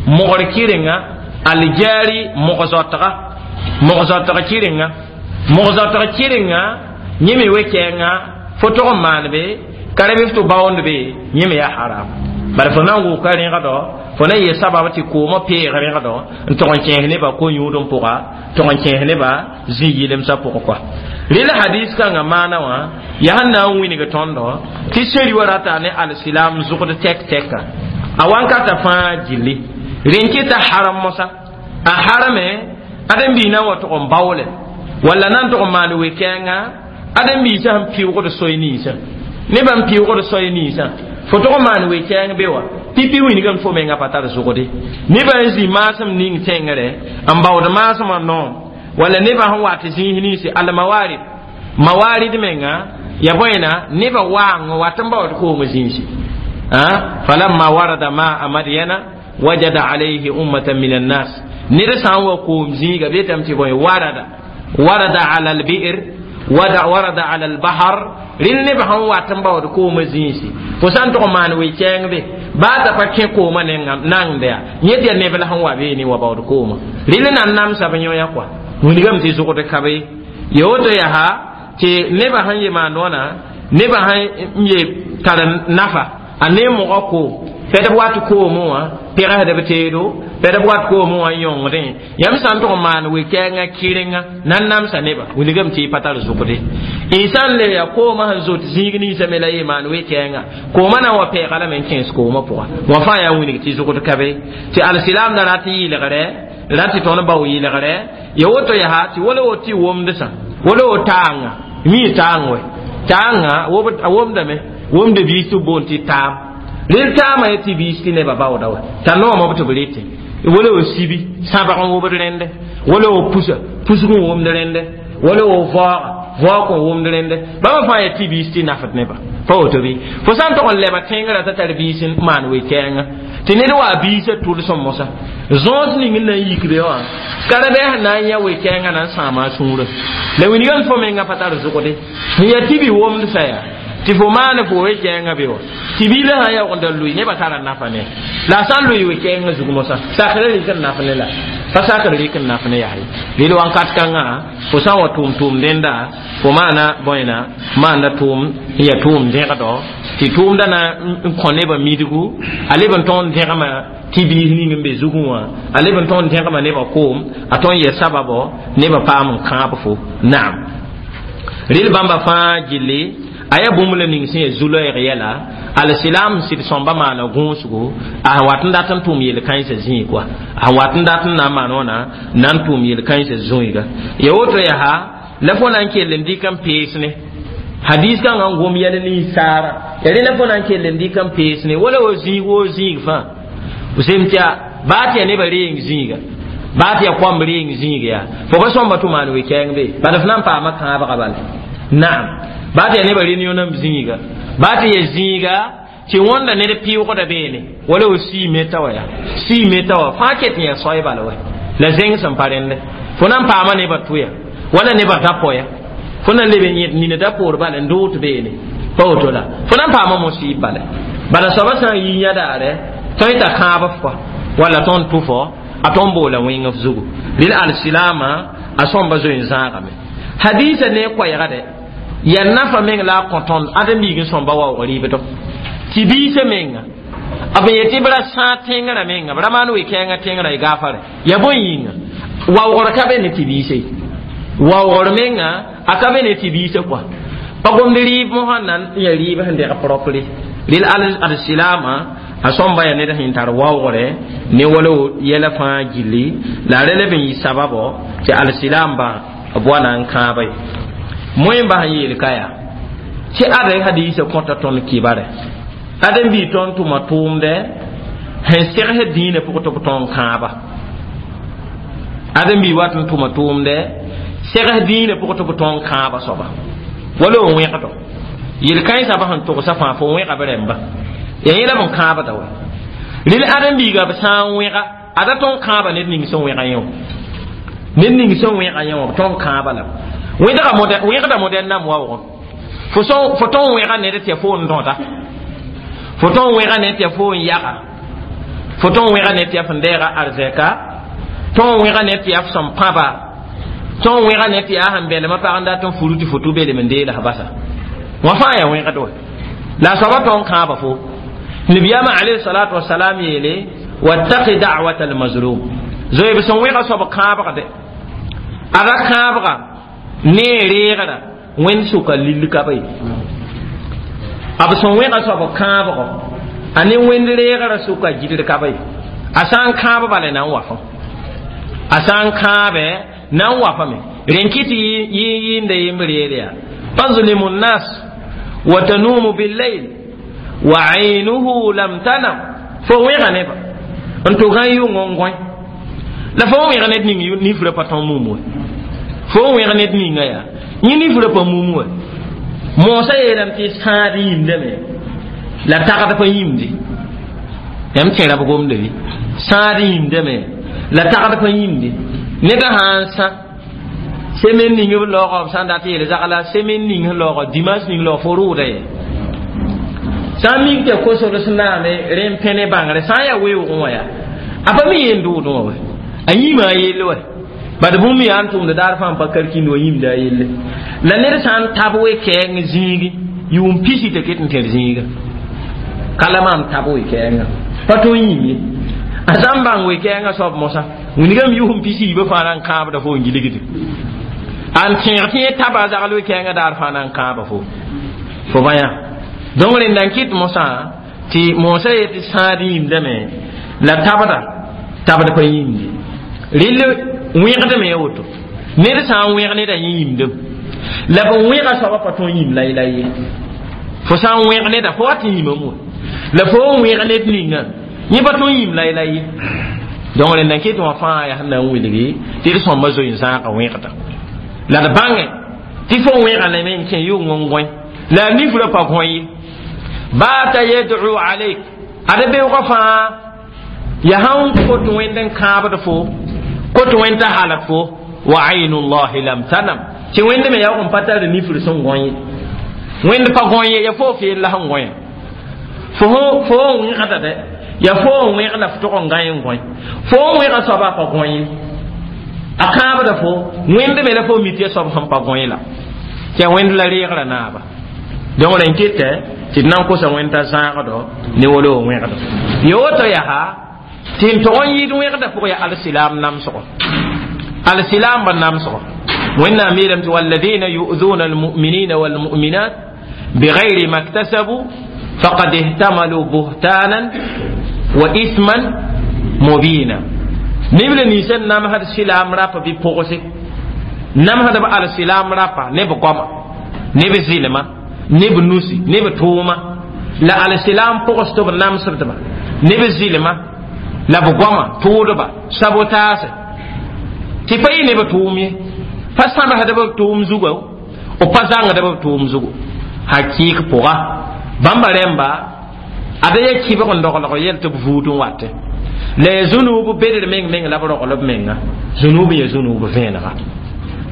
mogr kɩrenga aljari mog-zoatga, mog-zoatg kɩrenga, mog-zoatg kɩrenga yẽ me we-kɛɛngã fo tʋg n maan be ka ra bɩ f tɩ baoond be, yẽ me yaa haram. Bala fo na n wʋka rẽgdɔ, fo na n yee sabab tɩ koomã peeg rẽgdɔ n tʋg n kẽes nebã ko-yũud n pʋga, tʋg n kẽes nebã zĩ yɩlemsã pʋgẽ kɔa. Rɩl hadis kãngã maana wã yaa sẽn na n wilg tõndo tɩ seri wa rata ne alsilam zʋgd tɛk tɛka a wãnkata fãa gilli. Rẽn kɩta haram mosã a harame ãdem-biis na n wa tʋg n baoole walla na n tʋg n maan we-kɛɛngã ãdem-biisã sẽn pɩʋgd soy ninsã, nebã n pɩʋgd soy ninsã, fo tʋg n maan we-kɛɛng be wa Pipi wĩnigame fo menga pa tar zʋgde nebã n zĩ maasem ning tẽngre n baood maasmã noom wala nebã sẽn wat zĩis ninsi almawarid mawarid menga ya bõena nebã waang n wat n baood koom zĩisi falamma warada maa madyana wajada alayhi ummatan min annas ned sã n wa koom zĩiga betame tɩ bõe warada warada ala albi'r wada warada ala albahar rẽnd nebã sẽn wat n baood koomã zĩisi fo sã n tog n maan we-kɛɛng be baa t'a pa kẽ koomã nengd yaa yẽ tɩ yaa neb la sẽn wa beene wa baood koomã rẽnd na n namsa b yõ-yã kɔa wilgame tɩ zʋgd ka be ya woto yaa tɩ nebã sẽn ye maan wãna nebã sẽn ye tar nafa a ne mogã koom pɛdb wat koomẽ wã pɛgsd b teedo pɛdb wat koomẽ wã n yõngdẽ yãmb sã n tʋg n maan we-kɛɛngã kɩrenga na n namsa nebã wilgame tɩ y pa tar zʋgde y sã n le yaa koomã sẽn zot zĩig ninsã me la ye maan we-kɛɛngã koomã na n wa pɛɛga lame n kẽes koomã pʋga wã fãa yaa wilg tɩ zʋgd ka be tɩ alsilaamda rat n yɩlgre rat tɩ tõnd bao yɩlgre ya woto yaa tɩ wala wo tɩ womdsã wala wo taanga mi taang wɛ taanga a womdame womda biis tɩ b boond tɩ taam rel taamã ya tɩ biis tɩ nebã baooda wa t'a noomã b tɩ b rete wala wo sibi sãbg n wobd rẽnde wala wo pusa pusg n womd rẽnde wala wo vaooga vaoog n womd rẽnde bãmba fãa ya tɩ biis tɩ nafd nebã pa woto bɩ fo sã n tog n leba tẽngrã t'a tar biis n maan we-kɛɛngã tɩ ned wa biisã tʋlsem mosã zõos ning n na n yik be wã karabɛɛs na n yã we-kɛɛngã na n sãama a sũurã la wilgame fo menga pa tar zʋgde n yaa tɩ bi womdsa yaa tɩ fo maan fo we-kɛɛngã be wa tɩ biilã sã n yaoogda lʋɩ nebã tara nafa ne la a sã n lʋɩ we-kɛɛngã zug mosã sakra rɩk n naf ne la pa sakr rɩk n naf ne yaa ye rel wãnkat kãngã fo sã n wa tʋʋm tʋʋm dẽnda fo maana bõena maanda tʋʋm n yaa tʋʋm dẽgdɔ tɩ tʋʋmda na n kõ nebã midgu a leb n tõog n dẽgma tɩ biis ning n be zugẽ wã a leb n tõog n dẽgma nebã koom a tõe n yɛ sababɔ nebã paam n kãab fo naam rel bãmba fãa gilli a yaa bũmb la ning sẽn yaa zu-loɛɛg yɛla alsilaam sɩd sõmba maana gũusgo a wat n dat n tʋʋm yel-kãensã zĩig wa a wat n dat n na n maan wãna na n tʋʋm yel-kãensã zũiga ya woto yaa la fo na n kell n dɩk n pees ne hadis kãngã n gom yɛl ninsaara ya rẽ la fo na n kell n dɩk n pees ne wala wo zĩig wo zĩig fãa sem tɩ baa tɩ yaa nebã reeng zĩiga baa tɩ yaa koamb reeng zĩig yaa fo pa sõmba tʋ maan we-kɛɛng be bala f na n paama kãabga bala naam baa tɩ yaa nebã réunion n zĩiga baa tɩ yaa zĩiga tɩ wõnda ned pɩʋgda beene wala wo sii meta wa yaa sii meta wa fãa ket n yaa soay bala wɛ la zẽng sẽn pa rẽnde fo na n paama nebã tʋya wala nebã da-poya fo na n leb n yẽd nina da-poor bala n doot beene pa woto la fo na n paama mosiib bala bala soaba sã n yi yã daare tõe t'a kãab f kɔa wala tõnd tʋ-fo a tõnd boola wẽng f zugu rel alsilaamã a sõmba zoe n zãagame hadiisa ne koɛɛga dɛ yaa nafa meng la a kõ tõnd ãdem-biig n sõmba waoog rɩɩbdɔ tɩ biisã menga b yetɩ b ra sãa tẽngrã menga b ra maan we-kɛɛngã tẽngrã y gaafare ya bõe yĩnga waoogr ka be ne tɩ biise waoogr menga a ka be ne tɩ biisã kɔa pa gomd rɩɩb mosã na n ya rɩɩb sẽn deg propre rel alsilaamã a sõmba yaa ned sẽn tar waoogre ne wala yɛla fãa gilli la a re leb n yɩ sababo tɩ alsilaambã b wa na n kãaba ye moẽ bas n yeel ka yaa tɩ ada hadiisã kõta tõnd kibare ãdem-bii tõnd tʋma tʋʋmdɛ sẽn segsd dĩinã pʋgẽ tɩ b tõnd kãaba ãdem-bii wat n tʋma tʋʋmdɛ segs dĩinã pʋgẽ tɩ b tõnd kãaba soaba wala n wẽgdo yel-kãensã ba sẽn togsa fãa fo wẽga b rẽmba ya yẽ la b n kãabda wɛ rel ãdem-biiga b sã n wẽga ada tõnd kãaba ned ning sẽn wẽga yẽ wã ned ning sẽn wẽga yẽ wã b tõnd kãaba la wẽgda modɛn nam waoogẽ fo fo tõn wẽga ned tɩ ya fo n dõda fo tõn wẽga ned tɩ ya fo n yaga fo tõn wẽga ned tɩ ya fẽn deega arzɛka tõn wẽga ned tɩ ya f sẽn pãba tõn wẽga ned tɩ yaa sẽn belmã pag n dat n furu tɩ fo tʋ belem n deelas basa wã fãa yaa wẽgd wɛ la a soaba tõn kãaba fo nabiyaamã alayhi salatu wasalam yeele wattaqi da'wata almazlum zoe b sẽn wẽga soab kãabgde a ra kãabga ne reegra wẽnd sʋka lill ka be b sẽn wẽga soab kãabgɔ a ne wẽnd reegrã sʋka gidr ka be a sã n kãab bala na n wa fõ a sã n kãabɛ na n wa fame rẽn kɩ tɩ yɩɩnda yembr yeel yaa tazlimu nnas wa tanumu billayl wa aynuhu lam tanam Fo wẽga neba n tʋg n yʋng n gõe la fo n wẽg ned ning nifrã pa tõe mum we fo n wẽg ned ninga yaa yẽ nifrã pa mum we moosã yeelame tɩ sãad yĩmdame la tagd pa yĩmde yãmb tẽra b gomda bɩ sãad yĩmdame la tagd pa yĩmde ned sã n sã semaine ning b laoogã b sã n dat yeel zagla semaine ning sẽn laoogã dimanche ning laoog fo rʋʋda ye sã n mik tɩ kosd sẽn naame rẽ n pẽ ne bãngre sã n yaa weoogẽ wã yaa a pa mi yeen dʋʋdẽ wã we a yĩma a yelle wa bad bũmb yaa n tʋmd daar fãa n pa kalkind wa yĩmda a yelle la ned sã n tab we-kɛɛng zĩigi yʋʋm pisi t'a ket n tẽr zĩiga ka la maam tab we-kɛɛngã pa tõe n yĩm ye a sã n bãng we-kɛɛngã soab mosã wingame yʋʋm pisi yiibã fãa na n kãabda fo n gilgde an tẽeg tɩ yẽ taba a zagl we-kɛɛngã daar fãa na n kãaba fo fo bã yã donc rẽnda n kɩt mosã tɩ moosã yetɩ sãad yĩmdame la tabda tabd pa yĩmde rɩl wẽgdame ya woto ned sã n wẽg neda yẽ yĩmdem la b wẽga soaba pa tõe n yĩm laylay ye fo sã n wẽg neda fo wa tɩ yĩmame wa la fo n wẽg ned ninga yẽ pa tõe n yĩm laylay ye donc rẽnda n kɩt wã fãa yaa sẽn na n wilgi tɩ d sõmba zoe n zãaga wẽgda la d bãnge tɩ fo wẽga lame n kẽ yʋng n gõe la a nifrã pa gõe ye baata yad'u alayk ad beoogã fãa ya sãn kot wẽnd n kãabd fo kot wẽnd t'a halg fo wa aynu llahi lam tanam tɩ wẽnd me yaoog n pa tar nifr sẽn gõ ye wẽnd pa gõ ye ya fo feel la sẽn gõe fo fo n wẽgda dɛ ya fo n wẽg la f tog n gã n gõe fo n wẽga soaba pa gõ ye a kãabda fo wẽnd me la fo mi tɩ ya soab sẽn pa gõe la tɩ ya wẽnd la reegrã naaba donc rẽn kɩtɛ tɩ d na n kosa wẽnd t'a zãagdo ne wolo wẽgdo ya woto yaa tɩ n tog n yɩɩd wẽgda pʋgã yaa alsilam namsgo alsilamba namsgo wẽnnaam yeelame tɩ walladina yu'duna almu'minina walmu'minat bigayri ma ktasabu faqad ihtamalu buhtanan wa ithman mubina neb la ninsã namsd silaam rapa bɩ pʋgse namsd b alsilam rapa ne b goama ne b zɩlma ne b nusi ne b tʋʋma la alsilam pʋgs tɩ b namsdba ne b zɩlma la b goama tʋʋdba sabotaase tɩ pa yɩ ne b tʋʋm ye pa sãbsd b tʋʋm zugu b pa zãngd b tʋʋm zugu hakɩɩk pʋga bãmba rẽmba ada ya kɩbg n doglg yɛl tɩ b vuud n watẽ la ya zũnuub bedr meng meng la b rogl b menga zũnuub ya zũnuub vẽenega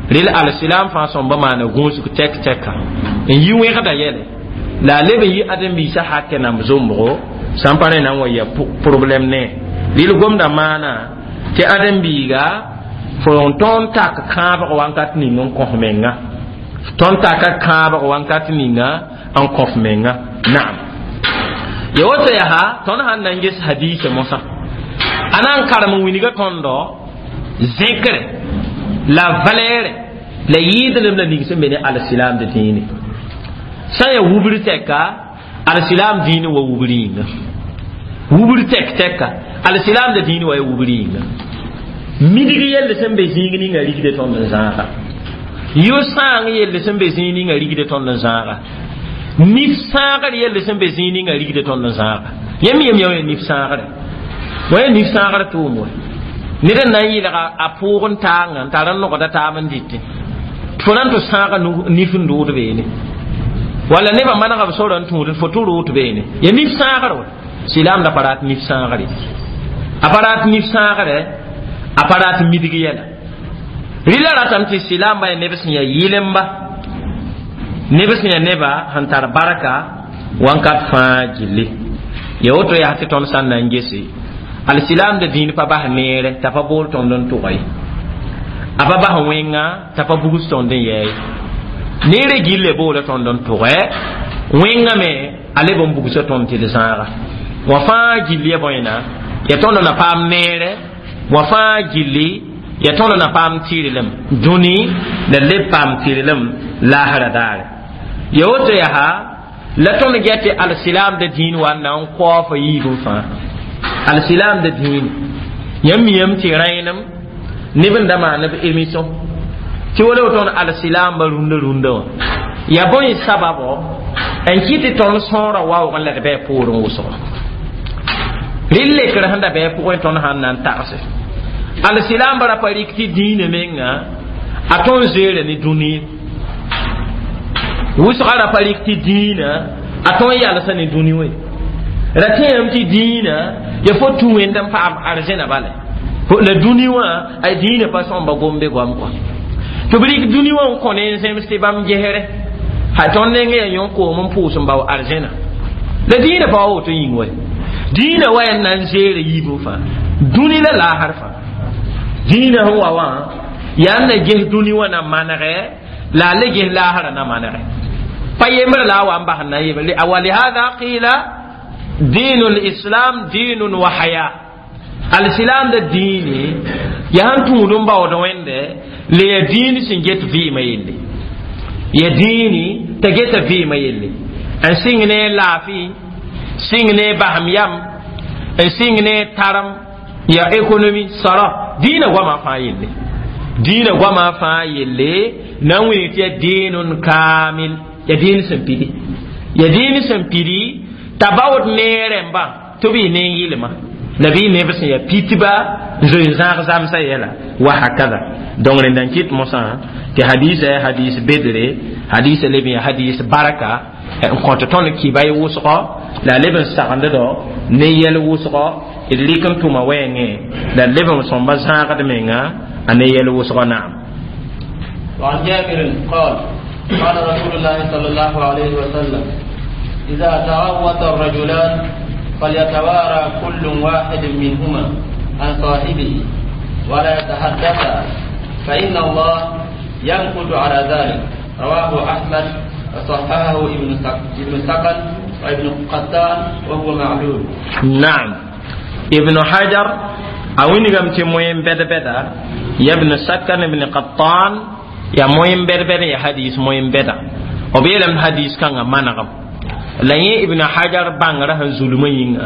rel alsilam fãa sõmba maana gũusg tɛk tɛka n yi wẽgda yɛle la a leb n yi ãdem-biisã hakɛ namb zombgo sã n pa rẽ na n wa ya problɛm ne rel gomda maana tɩ ãdem-biiga fo n tõnd tak kãabg wankat ning n kõs menga tõnd taka kãabg wankat ninga n kõs menga naam ya woto yaa tõnd sãn na n ges hadiisa mosã a na n karem n wilga tõndo zẽkre la valɛɛrɛ la yɩɩdlem la ning sẽn be ne alsilaamd dĩine sã n yaa wubr tɛka alsilaam dĩine wa wubr yĩnga wubr tɛk tɛka alsilaamd dĩine wa ya wubr yĩnga midg yelle sẽn be zĩig ninga rigde tõnd n zãaga yʋ-sãang yelle sẽn be zĩig ninga rigde tõnd n zãaga nif sãagr yelle sẽn be zĩig ninga rigde tõnd n zãaga yãmb yem yã nif sãagre wa ya nif sãagr tʋʋm wa ned n na n yɩlga a pʋʋg n taanga n tar n nogda taab n dɩtẽ fo na n tɩ sãaga nif n dʋʋd beene walla nebã manega b sora n tũud fo tɩ rʋʋt beene ya nif sãagr wa silaamda pa rat nif sãagre a pa rat nif sãagre a pa rat midg yɛla rɩla ratame tɩ silaamba ya neb sẽn yaa yɩlemba neb sẽn yaa neba sẽn tar barka wãnkat fãa gilli ya woto yaa tɩ tõnd sã n na n gese alsilaamda dĩin pa bas neere t'a pa bool tõnd n tʋga ye a pa bas wẽnga t'a pa bugs tõnd n yɛɛ ye neere gille boola tõnd n tʋgɛ wẽnga me a leb n bugsa tõnd tɩ d zãaga wã fãa gilli ya bõena ya tõnd na paam neere wã fãa gilli ya tõnd na paam tɩrlem dũni la leb paam tɩrlem laasra daare ya woto yaa la tõnd get tɩ alsilaamda dĩin wa n na n kaoofa yiibẽ fãa alsilaamda dĩin yãmb miyame tɩ rẽenem neb n da maan b émission tɩ wala tõnd alsilaamba rũndã rũndã wã ya bõe sababo n kɩ tɩ tõnd sõora waoog n la d bɩ a poorẽ wʋsgo Rɩ lekr sẽn da bɩ a pʋgẽ tõnd sãn na n tagse alsilaambã ra pa rɩk tɩ dĩinã menga a tõnd zoeera ne dũni wʋsga ra pa rɩk tɩ dĩinã a tõnd yalsa ne dũni wã ra tẽem tɩ dĩinã ya fo tũ wẽnd n paam arzẽna bala la dũni wã a dĩinã pa sõmba gombe goam kɔa tɩ b rɩk dũni wã n kõ ne n zems tɩ bãmb gesre ha tõnd neng yaa yõ koom n pʋʋs n bao arzẽna la dĩinã pa wa woto yĩng wa dĩinã wa yaa na n zeera yiibẽ fãa dũni la laasr fãa dĩinã sẽn wa wã yaa n na ges dũni wã na manegɛ la a le ges laasrã na manegɛ pa yembr la a wa n bas n na yembre walihada qila دين الإسلام دين وحياة الإسلام da diini yaa sẽn tũud n baood wẽnde la ya diini sẽn get vɩɩmã yelle ya diini t'a geta vɩɩmã yelle n sɩng ne laafɩ sɩng ne basem yam n sɩng ne tarem ya économie sara diinã goamã fãa yelle diinã goamã fãa yelle na n wilg tɩ ya diinun kamil ya diin sẽn pidi ya diin sẽn pidi t'a baood ne rẽmbã tɩ b yɩ ne n yɩlma la bɩ neb sẽn yaa pitba n zoe n zãag zamsã yɛla wa hakada donc rẽnda n kɩt mosã tɩ hadisa yaa hadis bedre hadisa leb n yaa hadis baraka n kõt tõnd kɩba y wʋsgɔ la a leb n sagnddo ne yɛl wʋsgɔ d rɩk n tʋma wɛɛngẽ la d leb n sõmba zãagd menga a ne yɛl wʋsgɔ naam وعن جابر قال قال رسول الله صلى الله عليه وسلم إذا تغوط الرجلان فليتوارى كل واحد منهما عن صاحبه ولا يتحدثا فإن الله ينقد على ذلك رواه أحمد وصححه ابن ابن سكن وابن قتان وهو معلول نعم ابن حجر أوين قمت موين بدا بدا يا ابن سكن ابن قطان يا موين بدا بدا يا حديث موين بدا وبيلم حديث كان منغم la yẽ ibn hajar bãngrã sẽn zulmã yĩnga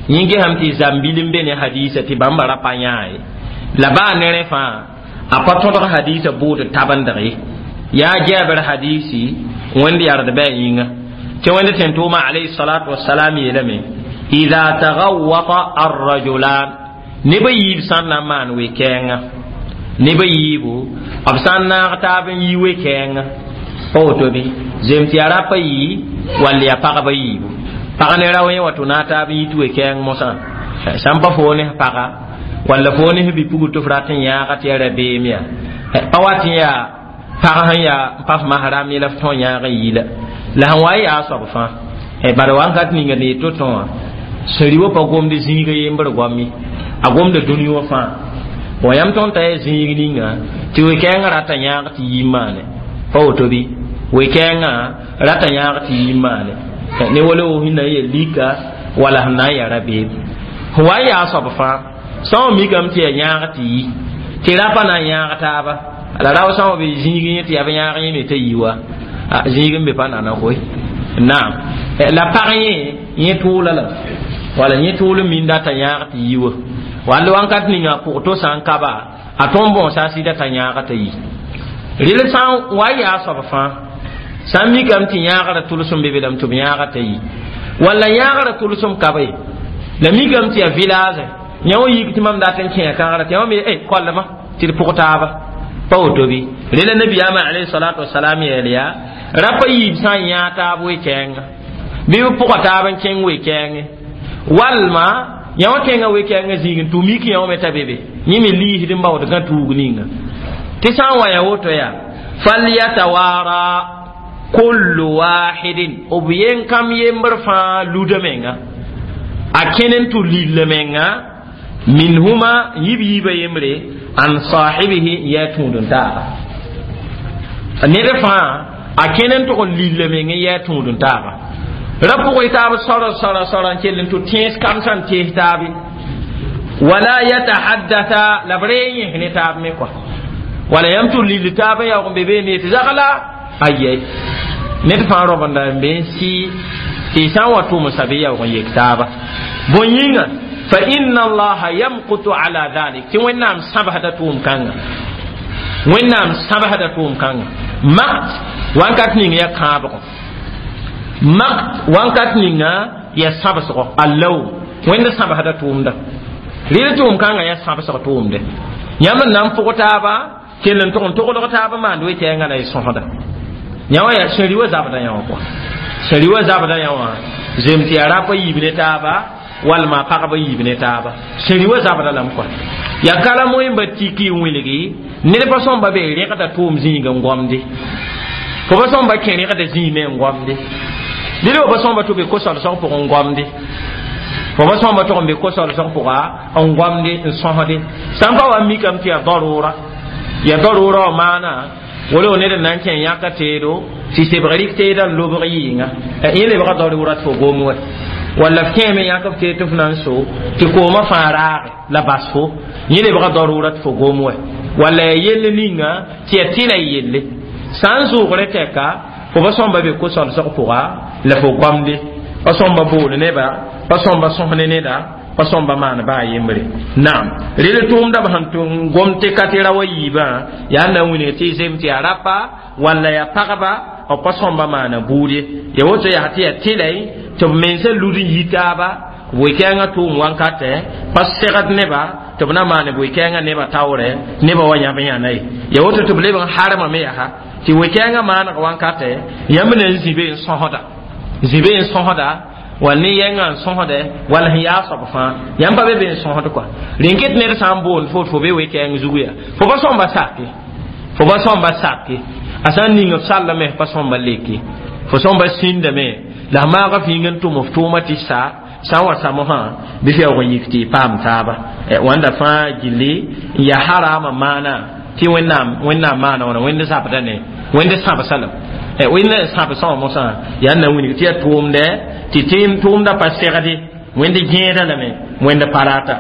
yẽ gesame tɩ zãmbil n be ne hadisa tɩ bãmba ra pa yãa ye la baa ne rẽ fãa a pa tõdg hadisa bʋʋd tabendg ye yaa jabr hadisi wẽnd yard bɩ a yĩnga tɩ wẽnd tẽn tʋʋma alayhi salatu wasalam yeelame ida tagawata arrajulan neb a yiib sã n na n maan we-kɛɛngã neb a yiibu b sã n naag taab n yi we-kɛɛngã pa woto bɩ zem tɩ yaa rapa yii wall yaa pagba yiibu pag ne rao yẽ wa tɩ na taab n yit we-kɛɛng mosã sã n pa foo ne paga walla foo ne bi-pugr tɩ f rat n yãaga tɩ yaa rabeem yaa pa wat n yaa pag sẽn yaa n pa f masram ye la f tõe n yãag n yi la la sẽn wa n yaa soab fãa bala wãnkat ninga ne to tõ wã sẽn rɩ wa pa gomd zĩiga yembr goam ye a gomda dũni wã fãa wa yãmb tõnd t'a yaa zĩig ninga tɩ we-kɛɛngã rata yãag tɩ yi n maane pa woto bɩ we-kɛɛngã rata yãag tɩ yi n maane ne wala wo sẽn na n yaa lika wala sẽn na n yaa rabeem sẽn wa n yaa soab fãa sã n mikame tɩ yaa yãag tɩ yi tɩ rapa na n yãag taaba la rao sã n be zĩig yẽ tɩ yaa b yãag yẽ me t'a yi wa zĩig n be pa nana koe naam la pag yẽ yẽ tʋʋla la wala yẽ tʋʋl n minda t'a yãag tɩ yi wa wall wãnkat ninga pʋg to sã n kaba a tõnd bõosa a sɩda t'a yãaga t'a yi rel sã n wa n yaa soab fãa sã n mikame tɩ yãagrã tʋlsem be be lame tɩ b yãaga t'a yi walla yãagrã tʋlsem ka be la mikame tɩ yaa village yã wã yik tɩ mam dat n kẽa kãgra tɩ yã wã me e koallma tɩ d pʋg taaba pa woto bɩ rela nabiyaamã alayhi salatu wasalam yeel yaa rapa yiib sã n yãag taab we-kɛɛnga bɩ b pʋga taab n kẽng we-kɛɛngẽ walma yã wã kẽnga we-kɛɛngã zĩig n tʋ mik yã wã me t'a be be yẽ me liisd n baood gã tuug ninga tɩ sã n wa ya woto yaa falyatawara kullu wahidin b yen kam yembr fãa luda menga a kẽn n tʋ lilla menga minhuma yib yiibã yembre an sahibihi n yaa tũud n taaba ned fãa a kẽn n tʋg n lilla meng n yaa tũud n taaba ra pʋgẽ taab sora sora sora n kell n tʋ tẽes kam sã n tees taabe wala yatahaddatha la b ree yẽs ne taab me kɔa wala yãmb tʋ lill taab n yaoog n be beene tɩ zagla ayɛ ned fãa robenda n be n sɩ tɩ sã n wa tʋmsa bɩ yaoog n yek taaba bõe yĩnga fa inna allaha yamkutu ala dhalik tɩ wẽnnaam sãbsda tʋʋm kãnga wẽnnaam sãbsda tʋʋm kãnga makt wãnkat ning ya kãabgɔ makt wãnkat ninga ya sãbsgɔ allaw Wẽnd sãbsda tʋʋmda rɩl tʋʋm kãngã yaa sãbsg tʋʋmde yãmb n na n pʋg taaba kell n tʋg n togdg taab maand we-kɛɛngã la y sõsda yã wã yaa sẽri wa zabda yã wã kɔa sẽri wa zabda yã wã zem tɩ yaa rap a yiib ne taaba walma pagba yiib ne taaba sẽri wa zabda lame kɔa yaa kala moẽmba tiki n wilgi ned pa sõmba be rẽgda tʋʋm zĩig n gomde fo pa sõmba kẽ rẽgda zĩig me n gomde ned wa pa sõmba tɩ be ko-solsg pʋgẽ n gomde fo pa sõmba tʋg n be ko-solsg pʋga n gomde n sõsde sã n pa wa mikame tɩ yaa darura yaa darura wã maana wala ned n na n kẽ yãka teedo tɩ sebg rɩk teedã n lobg yɩɩnga yẽ lebga darura tɩ fo gom wɛ walla f kẽeme yãk f teed tɩ f na n so tɩ koomã fãa raage la bas fo yẽ lebga darura tɩ fo gom wɛ walla ya yell ninga tɩ ya tɩla y yelle sã n zʋʋgre tɛka fo pa sõmba be ko-solsg pʋga la fo goamde pa sõmba bool neba pa sõmba sõs ne neda pa sõmba maan baa yembre naam rel tʋʋmda b sẽn tʋm gom tɩ ka tɩ ra wa yiibã yaa na n wilg tɩ zem tɩ yaa rapa walla yaa pagba b pa sõmba maana buud ye ya woto yaa tɩ yaa tɩlay tɩ b mensã lud n yi taaba wɩ-kɛɛngã tʋʋm wankatɛ pa segd neba tɩ b na maan wɩ-kɛɛngã neba taoorɛ neba wa yãb yãna ye ya woto tɩ b leb n harmame yaa tɩ wɩ-kɛɛngã maaneg wankatɛ yãmb na n zĩ be n sõsda zĩ be n sõsda wall ne yɛngã n sõsdɛ wall sẽn yaa soab fãa yãmb pa be be n sõsd kɔa rẽn ket ned sã n boond fo fo be we-kɛɛng zugu yaa fo pa sõmba sake fo pa sõmba sake a sã n ning f sallame f pa sõmba leke fo sõmba sĩndame la f maaga fĩing n tʋm f tʋʋma tɩ sa sã n wa samosã bɩ f yaoog n yik tɩ y paam taaba wãnda fãa gilli n yaa harama maana tɩ wẽnnaam wẽnnaam maana wãna wẽnd zabda ne wẽnd sãbsa lame wẽnd n sãbsã wã mosã yaa n na wilg tɩ yaa tʋʋmdɛ tɩ tʋʋmda pa segde wẽnd gẽeda lame wẽnd pa rata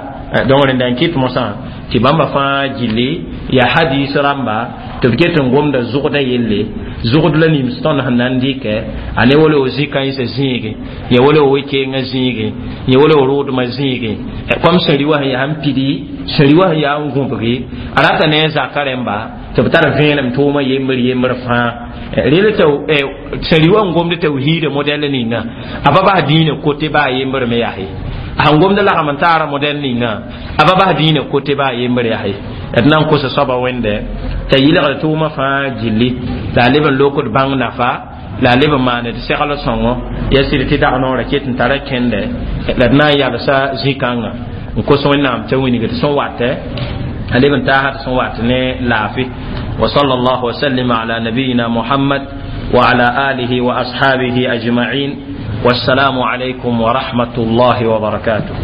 donc rẽnda n kɩt mosã tɩ bãmba fãa gilli yaa hadis rãmba tɩ b get n gomda zʋgda yelle zʋgd la nims tõnd sẽn na n dɩkɛ a ne wala o zĩ-kãensã zĩige ya wala o we-keenga zĩige ya wala o roodmã zĩige kom sẽn rɩ wa sẽn yaa n pidi sẽn rɩ wa sẽn yaa n gũbgi a rata ne a zaka rẽmba tɩ b tar vẽenem tʋʋmã yembr yembr fãa rel tɩ sẽn rɩ wa n gomd tawhiida modɛl ninga a pa bas dĩinã kote baa yembr me yaa ye sẽn gomd lagm n taara modɛl ninga a pa bas dĩinã kote baa yembr yaa ye d na n kosa soaba wẽnde t'a yɩlgd tʋʋmã fãa gilli la a leb n lokd bãng nafa la a leb n maand segl sõngo ya sɩd tɩ dag noorã ket n tara kẽndɛ la d na n yalsa zĩ-kãngã n kos wẽnnaam t'a wilgd sẽn watɛ a leb n taasa tɩ sẽn wat ne laafɩ وصلى الله وسلم على نبينا محمد وعلى آله وأصحابه أجمعين والسلام عليكم ورحمة الله وبركاته.